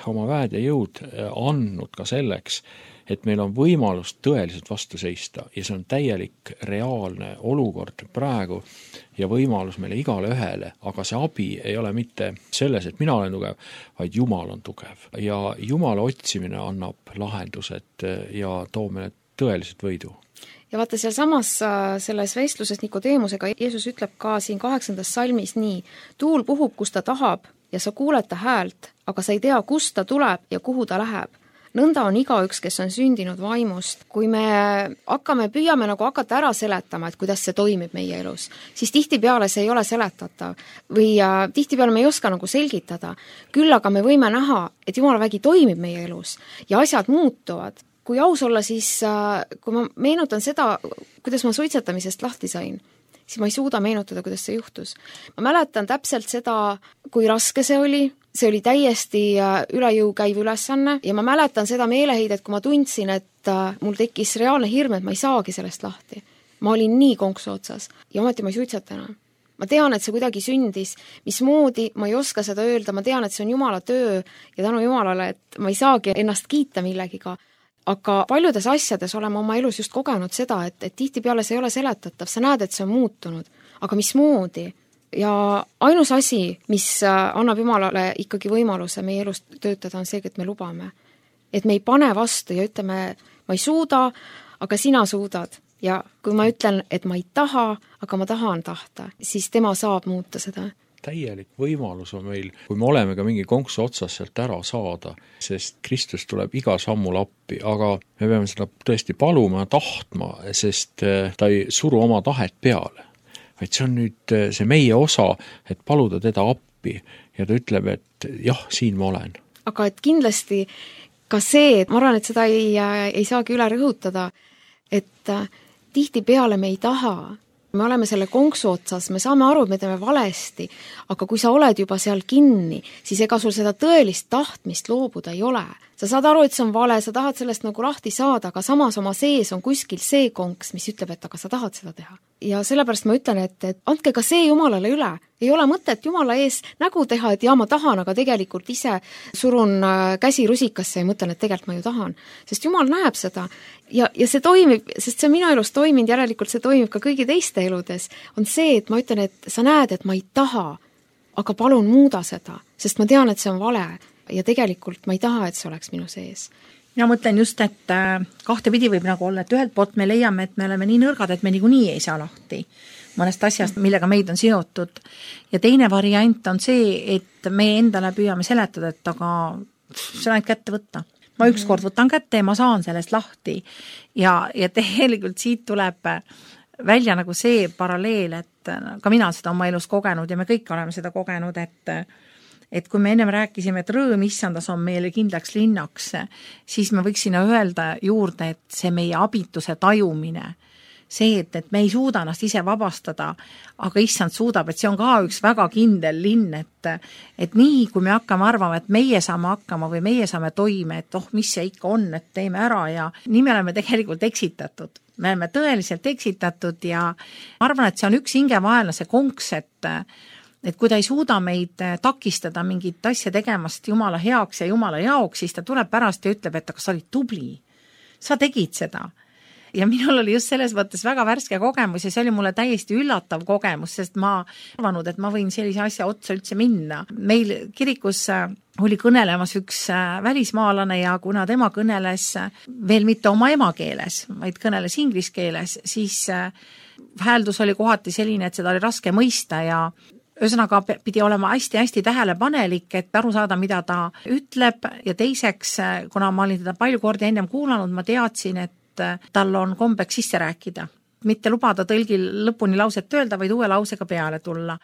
oma väed ja jõud andnud ka selleks, et meil on võimalus tõeliselt vastu seista ja see on täielik reaalne olukord praegu ja võimalus meile igale ühele, aga see abi ei ole mitte selles, et mina olen tugev, vaid Jumal on tugev ja Jumala otsimine annab lahendused ja toob meile tõeliselt võidu. Ja vaata seal samas selles vestluses Nikodeemusega Jeesus ütleb ka siin 8. salmis nii, tuul puhub, kus ta tahab ja sa kuuled ta häält, aga sa ei tea, kust ta tuleb ja kuhu ta läheb. Nõnda on igaüks, kes on sündinud vaimust. Kui me püüame nagu hakata ära seletama, et kuidas see toimib meie elus, siis tihtipeale see ei ole seletatav või tihtipeale me ei oska nagu selgitada. Küll aga me võime näha, et Jumala vägi toimib meie elus ja asjad muutuvad. Kui aus olla, siis kui ma meenutan seda, kuidas ma suitsetamisest lahti sain, siis ma ei suuda meenutada, kuidas see juhtus. Ma mäletan täpselt seda, kui raske see oli täiesti üle jõu käiv ülesanne ja ma mäletan seda meeleheidet, kui ma tundsin, et mul tekkis reaalne hirm, et ma ei saagi sellest lahti. Ma olin nii konksu otsas ja ometi ma ei suitseta enam. Ma tean, et see kuidagi sündis, mismoodi, ma ei oska seda öelda, ma tean, et see on Jumala töö ja tänu Jumalale, et ma ei saagi ennast kiita millegiga. Aga paljudes asjades oleme oma elus just kogenud seda, et tihtipeale see ei ole seletatav, sa näed, et see on muutunud, aga mismoodi? Ja ainus asi, mis annab Jumalale ikkagi võimaluse meie elus töötada, on see, et me lubame. Et me ei pane vastu ja ütleme, ma ei suuda, aga sina suudad. Ja kui ma ütlen, et ma ei taha, aga ma tahan tahta, siis tema saab muuta seda. Täielik võimalus on meil, kui me oleme ka mingi konksu otsas sealt ära saada, sest Kristus tuleb iga sammul appi, aga me peame seda tõesti paluma ja tahtma, sest ta ei suru oma tahet peale. Vaid see on nüüd see meie osa, et paluda teda appi ja ta ütleb, et jah, siin ma olen. Aga et kindlasti ka see, et ma arvan, et seda ei saagi üle rõhutada, et tihtipeale me ei taha. Me oleme selle konksu otsas, me saame aru, et me teeme valesti, aga kui sa oled juba seal kinni, siis ega sul seda tõelist tahtmist loobuda ei ole. Sa saad aru, et see on vale, sa tahad sellest nagu lahti saada, aga samas oma sees on kuskil see konks, mis ütleb, et aga sa tahad seda teha. Ja sellepärast ma ütlen, et andke ka see Jumalale üle. Ei ole mõtet Jumala ees nägu teha, et ma tahan, aga tegelikult ise surun käsi rusikasse ja mõtlen, et tegelikult ma ju tahan. Sest Jumal näeb seda ja see toimib, sest see minu elus toiminud, järelikult see toimib ka kõigi teiste eludes, on see, et ma ütlen, et sa näed, et ma ei taha, aga palun muuda seda, sest ma tean, et see on vale ja tegelikult ma ei taha, et see oleks minu sees. Ja mõtlen just, et kahte pidi võib nagu olla, et ühelt poolt me leiame, et me oleme nii nõrgad, et me niikuinii ei saa lahti mõnest asjast, millega meid on seotud. Ja teine variant on see, et me endale püüame seletada, et aga see on ainult kätte võtta. Ma ükskord võtan kätte ja ma saan sellest lahti. Ja tegelikult siit tuleb välja nagu see paralleel, et ka mina seda oma elus kogenud ja me kõik oleme seda kogenud, et kui me ennem rääkisime, et rõõm issandas on meile kindlaks linnaks, siis me võiksime öelda juurde, et see meie abituse tajumine, see, et me ei suuda ennast ise vabastada, aga issand suudab, et see on ka üks väga kindel linn, et nii, kui me hakkame arvama, et meie saame hakkama või meie saame toime, et mis see ikka on, et teeme ära ja nii me oleme tegelikult eksitatud. Me oleme tõeliselt eksitatud ja ma arvan, et see on üks hingevaelane, see konks, et kui ta ei suuda meid takistada mingit asja tegemast Jumala heaks ja Jumala jaoks, siis ta tuleb pärast ja ütleb, et aga sa olid tubli. Sa tegid seda. ja minul oli just selles mõttes väga värske kogemus ja see oli mulle täiesti üllatav kogemus, sest ma arvanud, et ma võin sellise asja otsa üldse minna. Meil kirikus oli kõnelemas üks välismaalane ja kuna tema kõneles veel mitte oma emakeeles, vaid kõneles inglise keeles, siis hääldus oli kohati selline, et seda oli raske mõista ja ühesõnaga pidi olema hästi-hästi tähelepanelik, et aru saada, mida ta ütleb ja teiseks, kuna ma olin teda palju kordi ennem kuulanud, ma teadsin, et tal on kombeks sisse rääkida. Mitte lubada tõlgil lõpuni lauset öelda, vaid uue lausega peale tulla.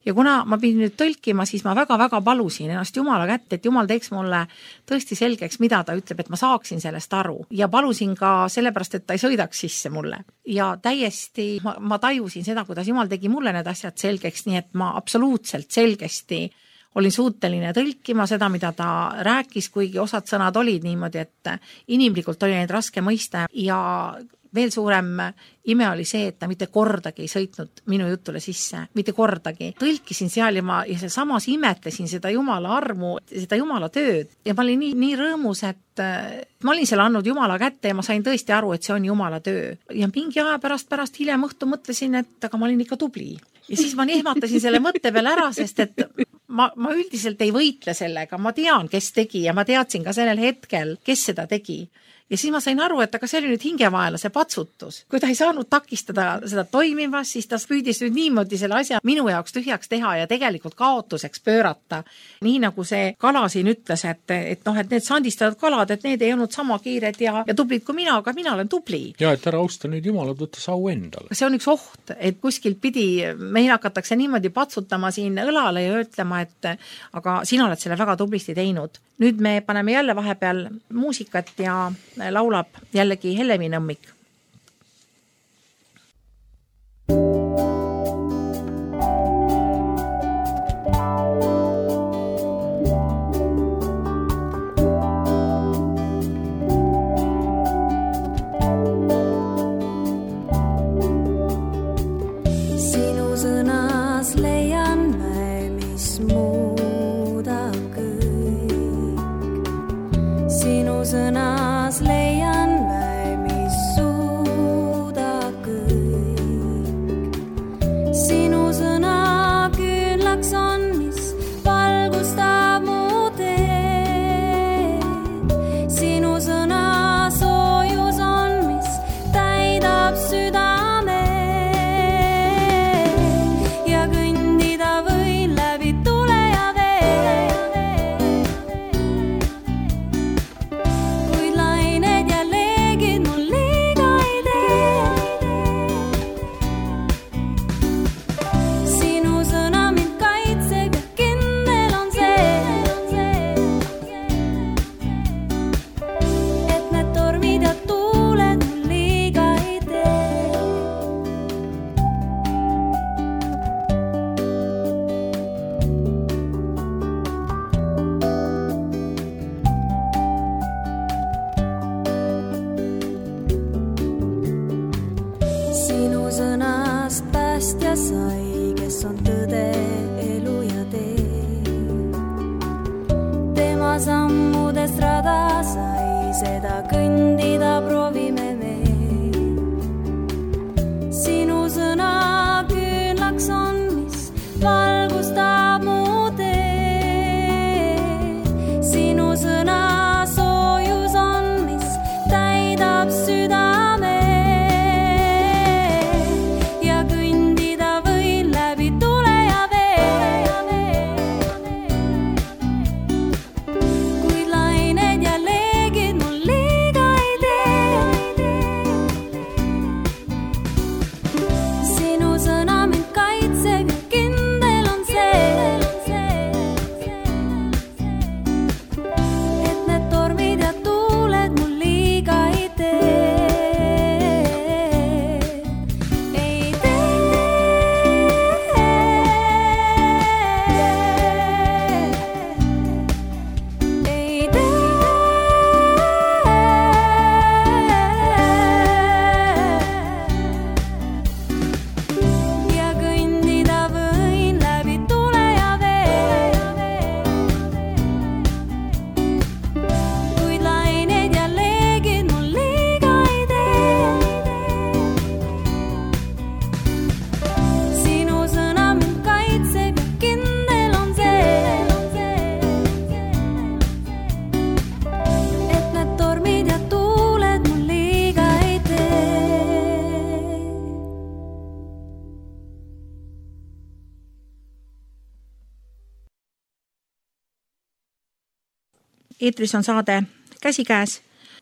Ja kuna ma pidin nüüd tõlkima, siis ma väga-väga palusin ennast Jumala kätte, et Jumal teeks mulle tõesti selgeks, mida ta ütleb, et ma saaksin sellest aru. Ja palusin ka sellepärast, et ta ei sõidaks sisse mulle. Ja täiesti ma tajusin seda, kuidas Jumal tegi mulle need asjad selgeks, nii et ma absoluutselt selgesti olin suuteline tõlkima seda, mida ta rääkis, kuigi osad sõnad olid niimoodi, et inimlikult oli neid raske mõista ja veel suurem ime oli see, et ta mitte kordagi ei sõitnud minu jutule sisse, mitte kordagi. Tõlkisin seal ja samas imetlesin seda Jumala armu, seda Jumala tööd ja ma olin nii rõõmus, et ma olin selle andnud Jumala kätte ja ma sain tõesti aru, et see on Jumala töö. Ja mingi aja pärast hiljem õhtu mõtlesin, et aga ma olin ikka tubli. Ja siis ma ehmatasin selle mõtte peale ära, sest et ma üldiselt ei võitle sellega, ma tean, kes tegi ja ma teadsin ka sellel hetkel, kes seda tegi. Ja siis ma sain aru, et aga see oli nüüd hingevaela see patsutus. Kui ta ei saanud takistada seda toimimas, siis ta püüdis nüüd niimoodi selle asja minu jaoks tühjaks teha ja tegelikult kaotuseks pöörata. Nii nagu see kala siin ütles, et need sandistatud kalad, et need ei olnud sama kiired ja tublid kui mina, aga mina olen tubli. Ja, et ära austa nüüd Jumalat, võtta au endale. See on üks oht, et kuskil pidi meil hakatakse niimoodi patsutama siin õlale ja ütlema, et aga sina oled selle väga tublisti teinud. Nüüd me paneme jälle vahepeal muusikat ja laulab jällegi Helemi Nõmmik. Sinu sõnas leian mä, mis muudab kõik. Sinu sõnas leian mä, mis suudab kõik. Sinu sõna küünlaks on, mis valgustab mu teed. Sinu sõna soojus on, mis täidab südame. Ja kõndida võin läbi tule ja vee. Kuid lained ja leegid mul liiga ei tee. Sinu sõna mind kaitseb ja kindel on see, et need tormid ja tuuled mul liiga ei tee. Sinu sõnast päästja sai, kes on tõde, elu ja tee. Tema sammudest rada sai, seda kõndida proovime me. Sinu sõna küünlaks on, mis valgustab mu teed. Sinu sõna soojus on, mis täidab südame. Ja kõndida võin läbi tule ja vee. Kuid lained ja leegid mul liiga ei tee. Sinu sõna mind kaitseb eetris on saade Käsikäes.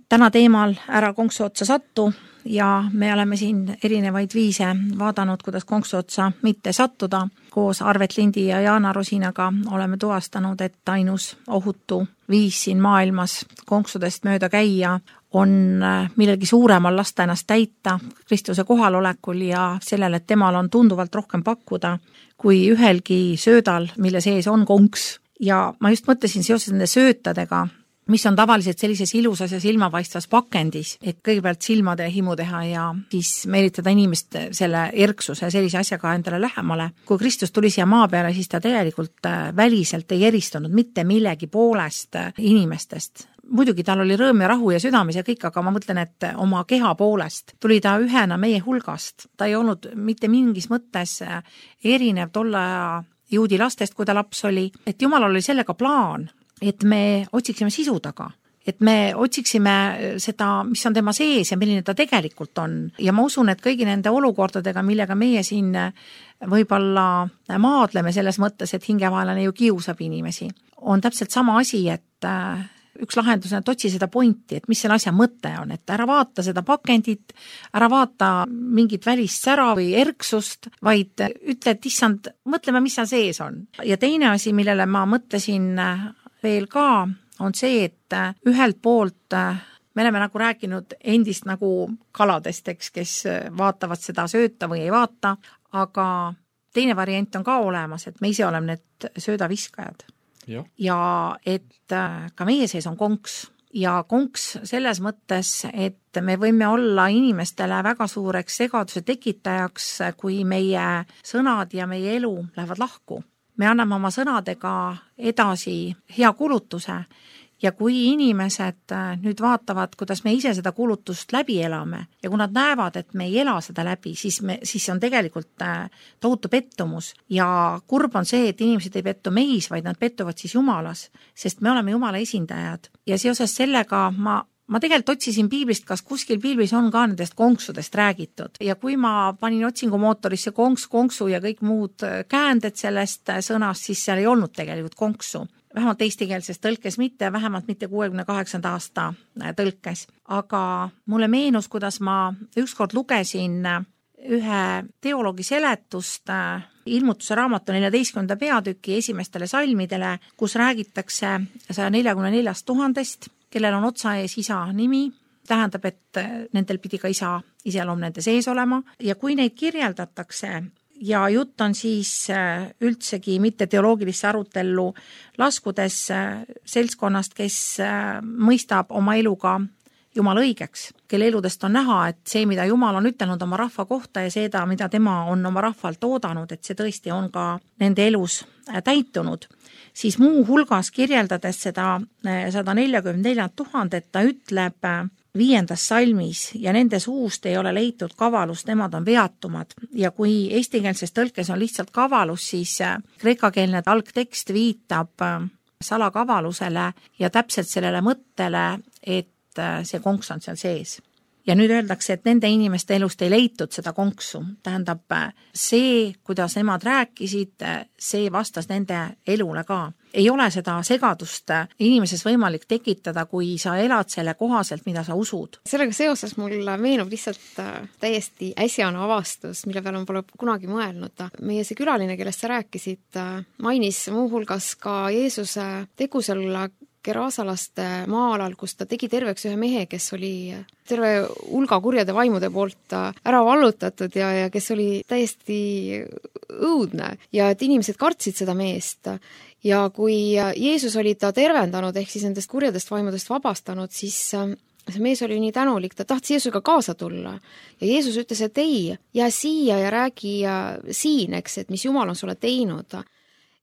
Täna teemal Ära konksu otsa sattu ja me oleme siin erinevaid viise vaadanud, kuidas konksu otsa mitte sattuda. Koos Arvet Lindi ja Jaana Rosinaga oleme tuvastanud, et ainus ohutu viis siin maailmas konksudest mööda käia on millegi suuremal lasta ennast täita Kristuse kohalolekul ja sellele, et temal on tunduvalt rohkem pakkuda kui ühelgi söödal, mille sees on konks. Ja ma just mõtlesin seoses nende söötadega, mis on tavaliselt sellises ilusas ja silmapaistvas pakendis, et kõigepealt silmade himu teha ja siis meelitada inimest selle erksuse sellise asjaga endale lähemale. Kui Kristus tuli siia maa peale, siis ta tegelikult väliselt ei eristunud mitte millegi poolest inimestest. Muidugi tal oli rõõm ja rahu ja südames ja kõik, aga ma mõtlen, et oma keha poolest tuli ta ühena meie hulgast. Ta ei olnud mitte mingis mõttes erinev tolle aja juudi lastest, kui ta laps oli, et Jumal oli sellega plaan, et me otsiksime sisu taga, et me otsiksime seda, mis on tema sees ja milline ta tegelikult on. Ja ma usun, et kõigi nende olukordadega, millega meie siin võib-olla maadleme selles mõttes, et hingevaelane ju kiusab inimesi, on täpselt sama asi, et üks lahendus on, et otsi seda pointi, et mis selle asja mõte on, et ära vaata seda pakendit, ära vaata mingit välist sära või erksust, vaid ütle, et issand, mõtleme, mis seal sees on. Ja teine asi, millele ma mõtlesin veel ka, on see, et ühelt poolt me oleme nagu rääkinud endist nagu kaladest, eks, kes vaatavad seda sööta või ei vaata, aga teine variant on ka olemas, et me ise oleme need söödaviskajad. Ja et ka meie sees on konks ja konks selles mõttes, et me võime olla inimestele väga suureks segaduse tekitajaks, kui meie sõnad ja meie elu lähevad lahku. Me anname oma sõnadega edasi hea kulutuse ja kui inimesed nüüd vaatavad, kuidas me ise seda kulutust läbi elame ja kui nad näevad, et me ei ela seda läbi, siis on tegelikult tohutu pettumus ja kurb on see, et inimesed ei pettu meis, vaid nad pettuvad siis Jumalas, sest me oleme Jumala esindajad ja seoses sellega ma tegelikult otsisin piiblist, kas kuskil piiblis on ka nendest konksudest räägitud ja kui ma panin otsingumootorisse konksu ja kõik muud käänded sellest sõnast, siis seal ei olnud tegelikult konksu. Vähemalt eestikeelses tõlkes mitte, vähemalt mitte 68. aasta tõlkes. Aga mulle meenus, kuidas ma ükskord lugesin ühe teoloogi seletust Ilmutuse raamatu 14. peatüki esimestele salmidele, kus räägitakse 144 000, kellel on otsa ees isa nimi, tähendab, et nendel pidi ka isa iseloom nende sees olema ja kui neid kirjeldatakse ja jutt on siis üldsegi mitte teoloogilisse arutellu laskudes seltskonnast, kes mõistab oma eluga Jumala õigeks, kelle eludest on näha, et see, mida Jumal on ütelnud oma rahva kohta ja seda, mida tema on oma rahvalt oodanud, et see tõesti on ka nende elus täitunud, siis muu hulgas kirjeldades seda 144 000, et ta ütleb 5. salmis ja nende suust ei ole leitud kavalust, nemad on veatumad. Ja kui eestikeelses tõlkes on lihtsalt kavalus, siis kreekakeelne algtekst viitab salakavalusele ja täpselt sellele mõttele, et see konks on seal sees. Ja nüüd öeldakse, et nende inimeste elust ei leitud seda konksu. Tähendab, see, kuidas nemad rääkisid, see vastas nende elule ka. Ei ole seda segadust inimeses võimalik tekitada, kui sa elad selle kohaselt, mida sa usud. Sellega seoses mul meenub lihtsalt täiesti äsjane avastus, mille peale ma pole kunagi mõelnud. Meie see külaline, kellest sa rääkisid, mainis muu hulgas ka Jeesuse tegu seal Gerasalaste maa-alal, kus ta tegi terveks ühe mehe, kes oli terve hulga kurjade vaimude poolt ära vallutatud ja kes oli täiesti õudne ja et inimesed kartsid seda meest. Ja kui Jeesus oli ta tervendanud ehk siis nendest kurjadest vaimudest vabastanud, siis see mees oli nii tänulik, ta tahtis Jeesusega kaasa tulla. Ja Jeesus ütles, et ei, jää siia ja räägi siin, eks, et mis Jumal on sulle teinud.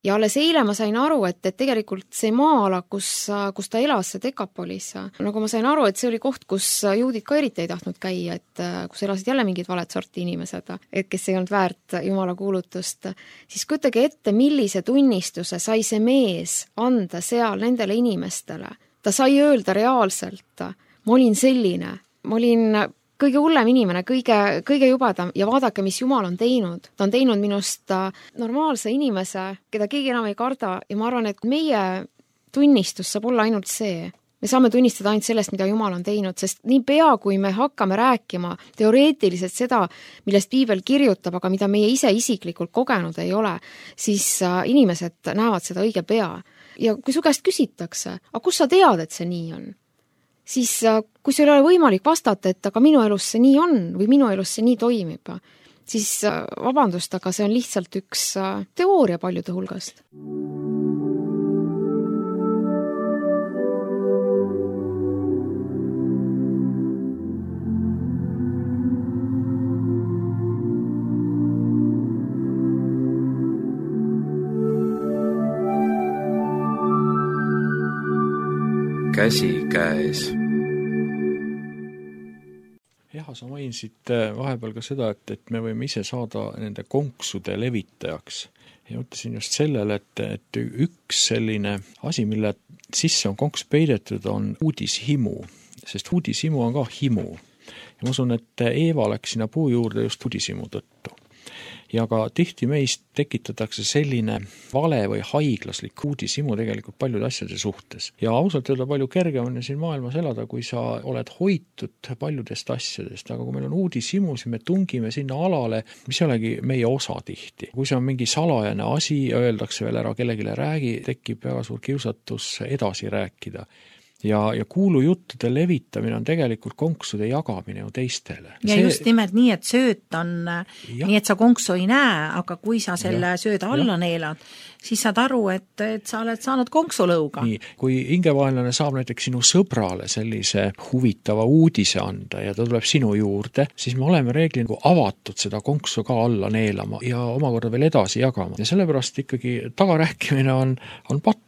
Ja alles eile ma sain aru, et tegelikult see maa-ala, kus ta elas, see Dekapolis, nagu ma sain aru, et see oli koht, kus juudid ka eriti ei tahtnud käia, et kus elasid jälle mingid valet sorti inimesed, et kes ei olnud väärt Jumala kuulutust, siis kujutage ette, millise tunnistuse sai see mees anda seal nendele inimestele. Ta sai öelda reaalselt, ma olin selline, ma olin kõige hullem inimene, kõige jubedam ja vaadake, mis Jumal on teinud. Ta on teinud minust normaalse inimese, keda keegi enam ei karda ja ma arvan, et meie tunnistus saab olla ainult see. Me saame tunnistada ainult sellest, mida Jumal on teinud, sest nii pea, kui me hakkame rääkima teoreetiliselt seda, millest Piibel kirjutab, aga mida meie ise isiklikult kogenud ei ole, siis inimesed näevad seda õige pea. Ja kui su käest küsitakse, aga kus sa tead, et see nii on? Siis kui sul ei ole võimalik vastata, et aga minu elus see nii on või minu elus see nii toimib, siis vabandust, aga see on lihtsalt üks teooria paljude hulgast. Käsi käes. Jah, sa mainisid vahepeal ka seda, et me võime ise saada nende konksude levitajaks. Ja mõtlesin just sellele, et üks selline asi, mille sisse on konks peidetud, on uudishimu, sest uudishimu on ka himu. Ja ma usun, et Eeva läks sinna puu juurde just uudishimu tõttu. Ja ka tihti meist tekitatakse selline vale või haiglaslik uudishimu tegelikult paljude asjade suhtes. Ja ausalt öelda palju kergem on siin maailmas elada, kui sa oled hoitud paljudest asjadest, aga kui meil on uudishimu, siis me tungime sinna alale, mis ei olegi meie osa tihti. Kui see on mingi salajane asi ja öeldakse veel ära kellegile räägi, tekib väga suur kiusatus edasi rääkida. Ja kuulujuttude levitamine on tegelikult konksude jagamine ju teistele. Ja just nimelt nii, et sööt on nii, et sa konksu ei näe, aga kui sa selle sööda alla neelad, siis saad aru, et sa oled saanud konksulõuga. Nii, kui hingevaenlane saab näiteks sinu sõbrale sellise huvitava uudise anda ja ta tuleb sinu juurde, siis me oleme reeglina avatud seda konksu ka alla neelama ja omakorda veel edasi jagama. Ja sellepärast ikkagi tagarääkimine on patt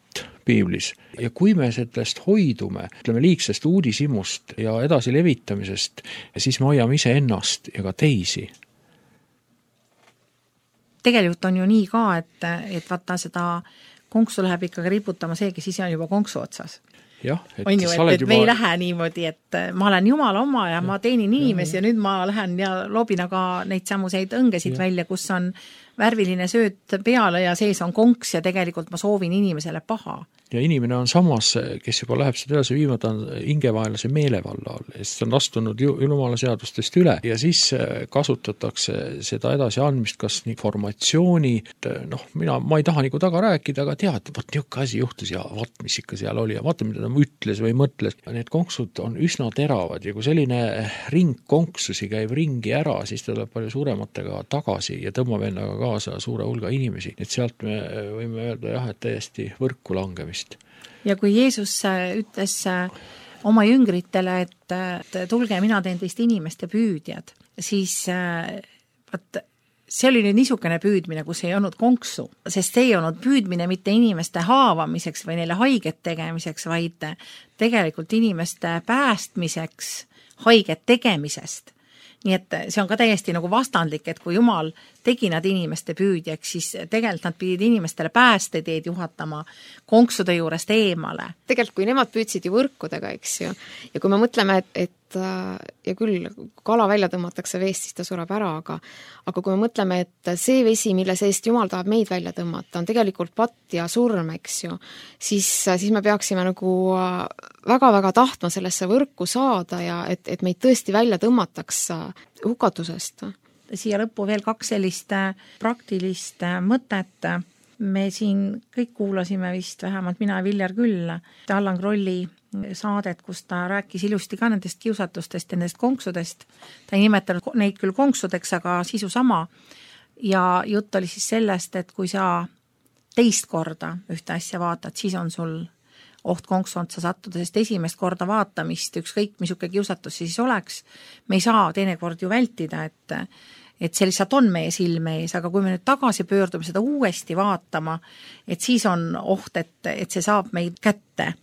Piiblis. Ja kui me sellest hoidume, ütleme liigsest uudishimust ja edasi levitamisest, siis me hoiame ise ennast ja ka teisi. Tegelikult on ju nii ka, et vaata seda konksu läheb ikkagi riputama see, kes ise on juba konksu otsas. Jah, on ju, et me ei lähe niimoodi, et ma olen Jumala oma ja ma teenin inimesi ja nüüd ma lähen ja loobin aga neid samuseid õngesid välja, kus on värviline sööt peale ja sees on konks ja tegelikult ma soovin inimesele paha. Ja inimene on samas, kes juba läheb seda edasi viima, ta on hingevaenlase meelevalla all, sest on astunud Jumala seadustest üle ja siis kasutatakse seda edasi andmist, kas informatsiooni, ma ei taha nagu taga rääkida, aga tead, vaat niisugune asi juhtus ja vaat, mis ikka seal oli ja vaata, mida ta ütles või mõtles. Need konksud on üsna teravad ja kui selline ring konksusi käib ringi ära, siis ta tuleb palju suurematega tagasi ja tõmbab endaga kaasa suure hulga inimesi. Et sealt me võime öelda jah, et täiesti võrku langemist. Ja kui Jeesus ütles oma jüngritele, et tulge, mina teen teist inimeste püüdjad, siis see oli nüüd niisugune püüdmine, kus ei olnud konksu, sest see ei olnud püüdmine mitte inimeste haavamiseks või neile haiget tegemiseks, vaid tegelikult inimeste päästmiseks haiget tegemisest. Nii et see on ka täiesti nagu vastandlik, et kui Jumal tegi nad inimeste püüdjaks, siis tegelikult nad pidid inimestele päästeteed juhatama konksude juurest eemale. Tegelikult kui nemad püüdsid ju võrkudega, eks ju, ja kui me mõtleme, et ja küll kala välja tõmmatakse veest, siis ta sureb ära, aga kui me mõtleme, et see vesi, mille seest Jumal tahab meid välja tõmmata, on tegelikult patt ja surm, eks ju, siis me peaksime nagu väga-väga tahtma sellesse võrku saada ja et meid tõesti välja tõmmataks hukatusest. Siia lõppu veel 2 sellist praktilist mõtet. Me siin kõik kuulasime vist, vähemalt mina ja Viljar küll, Allan Krolli saadet, kus ta rääkis ilusti ka nendest kiusatustest ja nendest konksudest. Ta ei nimetanud neid küll konksudeks, aga sisu sama. Ja jutt oli siis sellest, et kui sa teist korda ühte asja vaatad, siis on sul oht konksu otsa sattuda, sest esimest korda vaatamist, ükskõik misuke kiusatus siis oleks, me ei saa teinekord ju vältida, et see lihtsalt on meie silme ees, aga kui me nüüd tagasi pöördume seda uuesti vaatama, et siis on oht, et see saab meid kätte.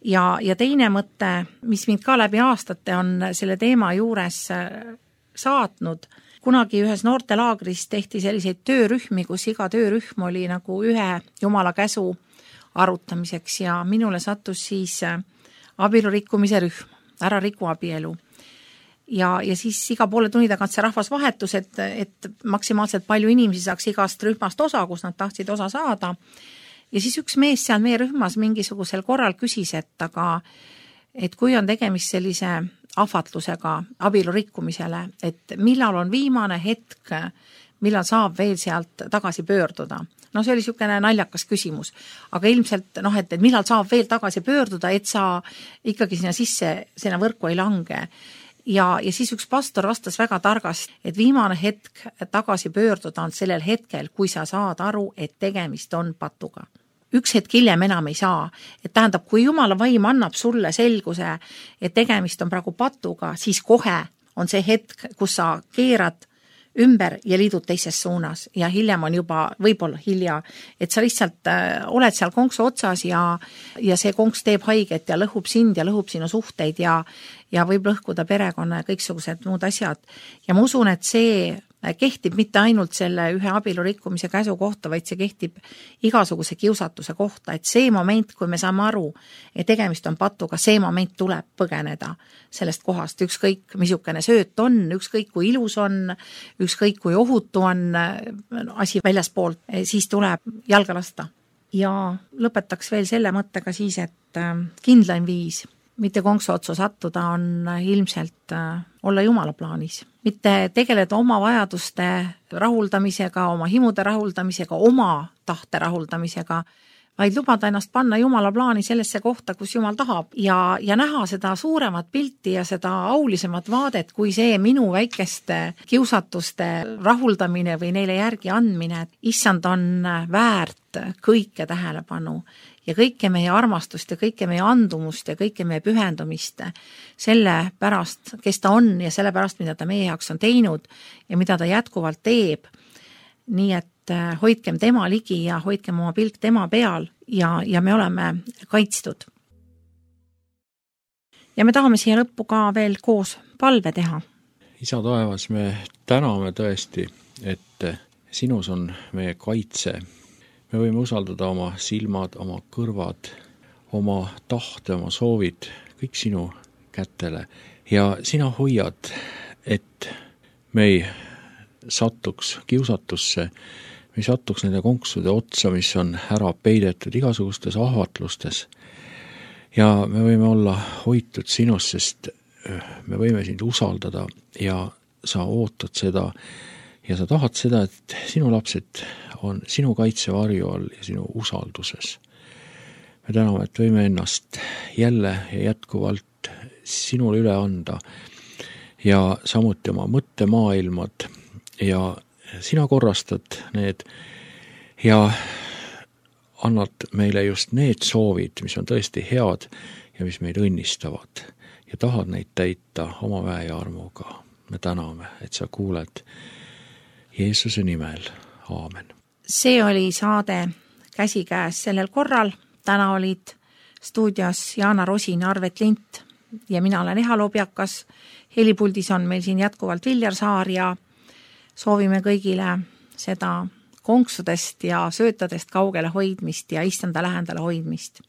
Ja teine mõte, mis mind ka läbi aastate on selle teema juures saatnud, kunagi ühes noortelaagris tehti selliseid töörühmi, kus iga töörühm oli nagu ühe Jumala käsu arutamiseks ja minule sattus siis abielurikkumise rühm, ära riku abielu. Ja siis iga poole tunni tagant see rahvas vahetus, et maksimaalselt palju inimesi saaks igast rühmast osa, kus nad tahtsid osa saada. Ja siis üks mees seal meie rühmas mingisugusel korral küsis, et kui on tegemist sellise ahvatlusega abielu rikkumisele, et millal on viimane hetk, millal saab veel sealt tagasi pöörduda. No see oli niisugune naljakas küsimus, aga ilmselt, et millal saab veel tagasi pöörduda, et sa ikkagi sinna võrku ei lange. Ja siis üks pastor vastas väga targasti, et viimane hetk tagasi pöörduda on sellel hetkel, kui sa saad aru, et tegemist on patuga. Üks hetk hiljem enam ei saa. Et tähendab, kui Jumala vaim annab sulle selguse, et tegemist on praegu patuga, siis kohe on see hetk, kus sa keerad ümber ja liidud teises suunas ja hiljem on juba võib-olla hilja, et sa lihtsalt oled seal konksu otsas ja see konks teeb haiget ja lõhub sind ja lõhub sinu suhteid ja võib lõhkuda perekonna ja kõiksugused muud asjad. Ja ma usun, et see kehtib mitte ainult selle ühe abielu rikkumise käsu kohta, vaid see kehtib igasuguse kiusatuse kohta, et see moment, kui me saame aru, et tegemist on patuga, see moment tuleb põgeneda sellest kohast, ükskõik missugune sööt on, ükskõik kui ilus on, ükskõik kui ohutu on asi väljaspoolt, siis tuleb jalga lasta. Ja lõpetaks veel selle mõttega siis, et kindlaim viis mitte konksu otsa sattuda on ilmselt olla Jumala plaanis. Mitte tegeleda oma vajaduste rahuldamisega, oma himude rahuldamisega, oma tahte rahuldamisega, vaid lubada ennast panna Jumala plaani sellesse kohta, kus Jumal tahab ja näha seda suuremat pilti ja seda aulisemat vaadet, kui see minu väikeste kiusatuste rahuldamine või neile järgi andmine. Issand on väärt kõike tähelepanu ja kõike meie armastust ja kõike meie andumust ja kõike meie pühendumist selle pärast, kes ta on ja selle pärast, mida ta meie jaoks on teinud ja mida ta jätkuvalt teeb. Nii et hoidkem tema ligi ja hoidkem oma pilk tema peal ja me oleme kaitstud. Ja me tahame siia lõppu ka veel koos palve teha. Isa taevas, me täname tõesti, et sinus on meie kaitse. Me võime usaldada oma silmad, oma kõrvad, oma tahte, oma soovid, kõik sinu kätele. Ja sina hoiad, et me ei satuks kiusatusse, me ei satuks nende konksude otsa, mis on ära peidetud igasugustes ahvatlustes. Ja me võime olla hoitud sinust, sest me võime sind usaldada ja sa ootad seda ja sa tahad seda, et sinu lapsed on sinu kaitsevarju all ja sinu usalduses. Me täname, et võime ennast jälle ja jätkuvalt sinule üle anda ja samuti oma mõttemaailmad ja sina korrastad need ja annad meile just need soovid, mis on tõesti head ja mis meid õnnistavad ja tahad neid täita oma väe ja armuga. Me täname, et sa kuuled Jeesuse nimel. Aamen. See oli saade Käsikäes sellel korral. Täna olid stuudios Jaana Rosin, Arvet Lint ja mina olen Eha Lobjakas. Helipuldis on meil siin jätkuvalt Viljar Saar ja soovime kõigile seda konksudest ja söötadest kaugele hoidmist ja issanda lähedale hoidmist.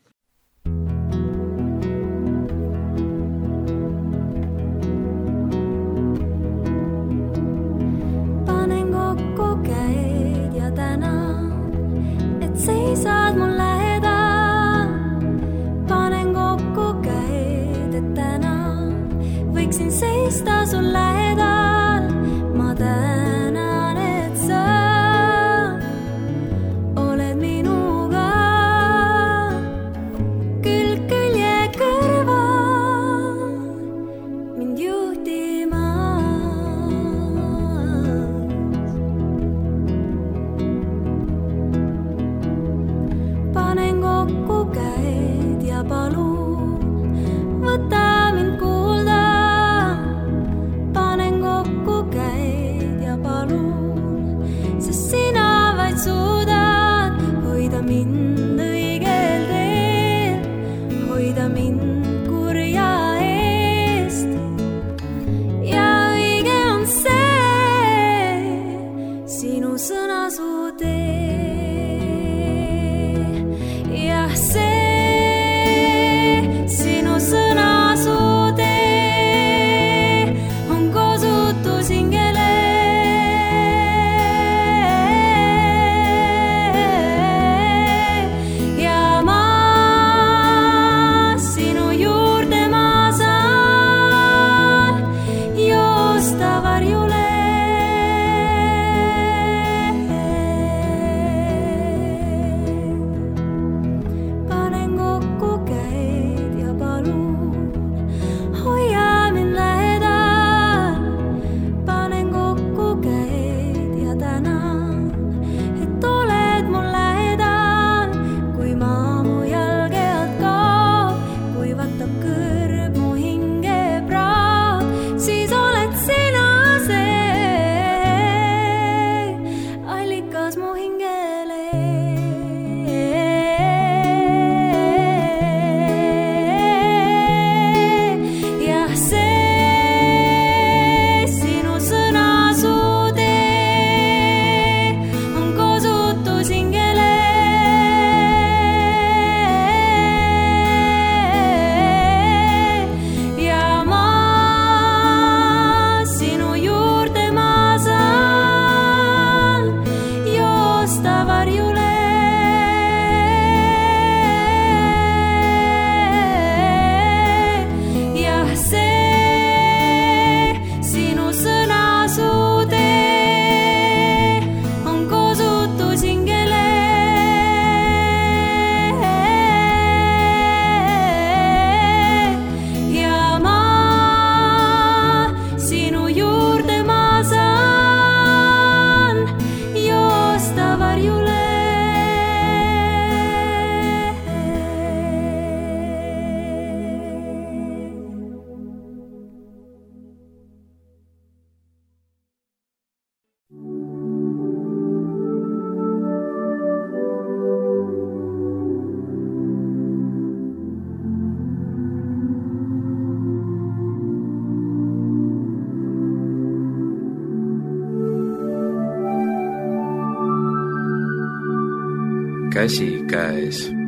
Seisad mul lähedal, panen kokku käed, et täna võiksin seista sul lähedal. Ma tänan, et sa oled minuga külg külje kõrval mind juhtimas. Panen kokku käed ja palun, võta mind kuulda. Panen kokku käsikäes.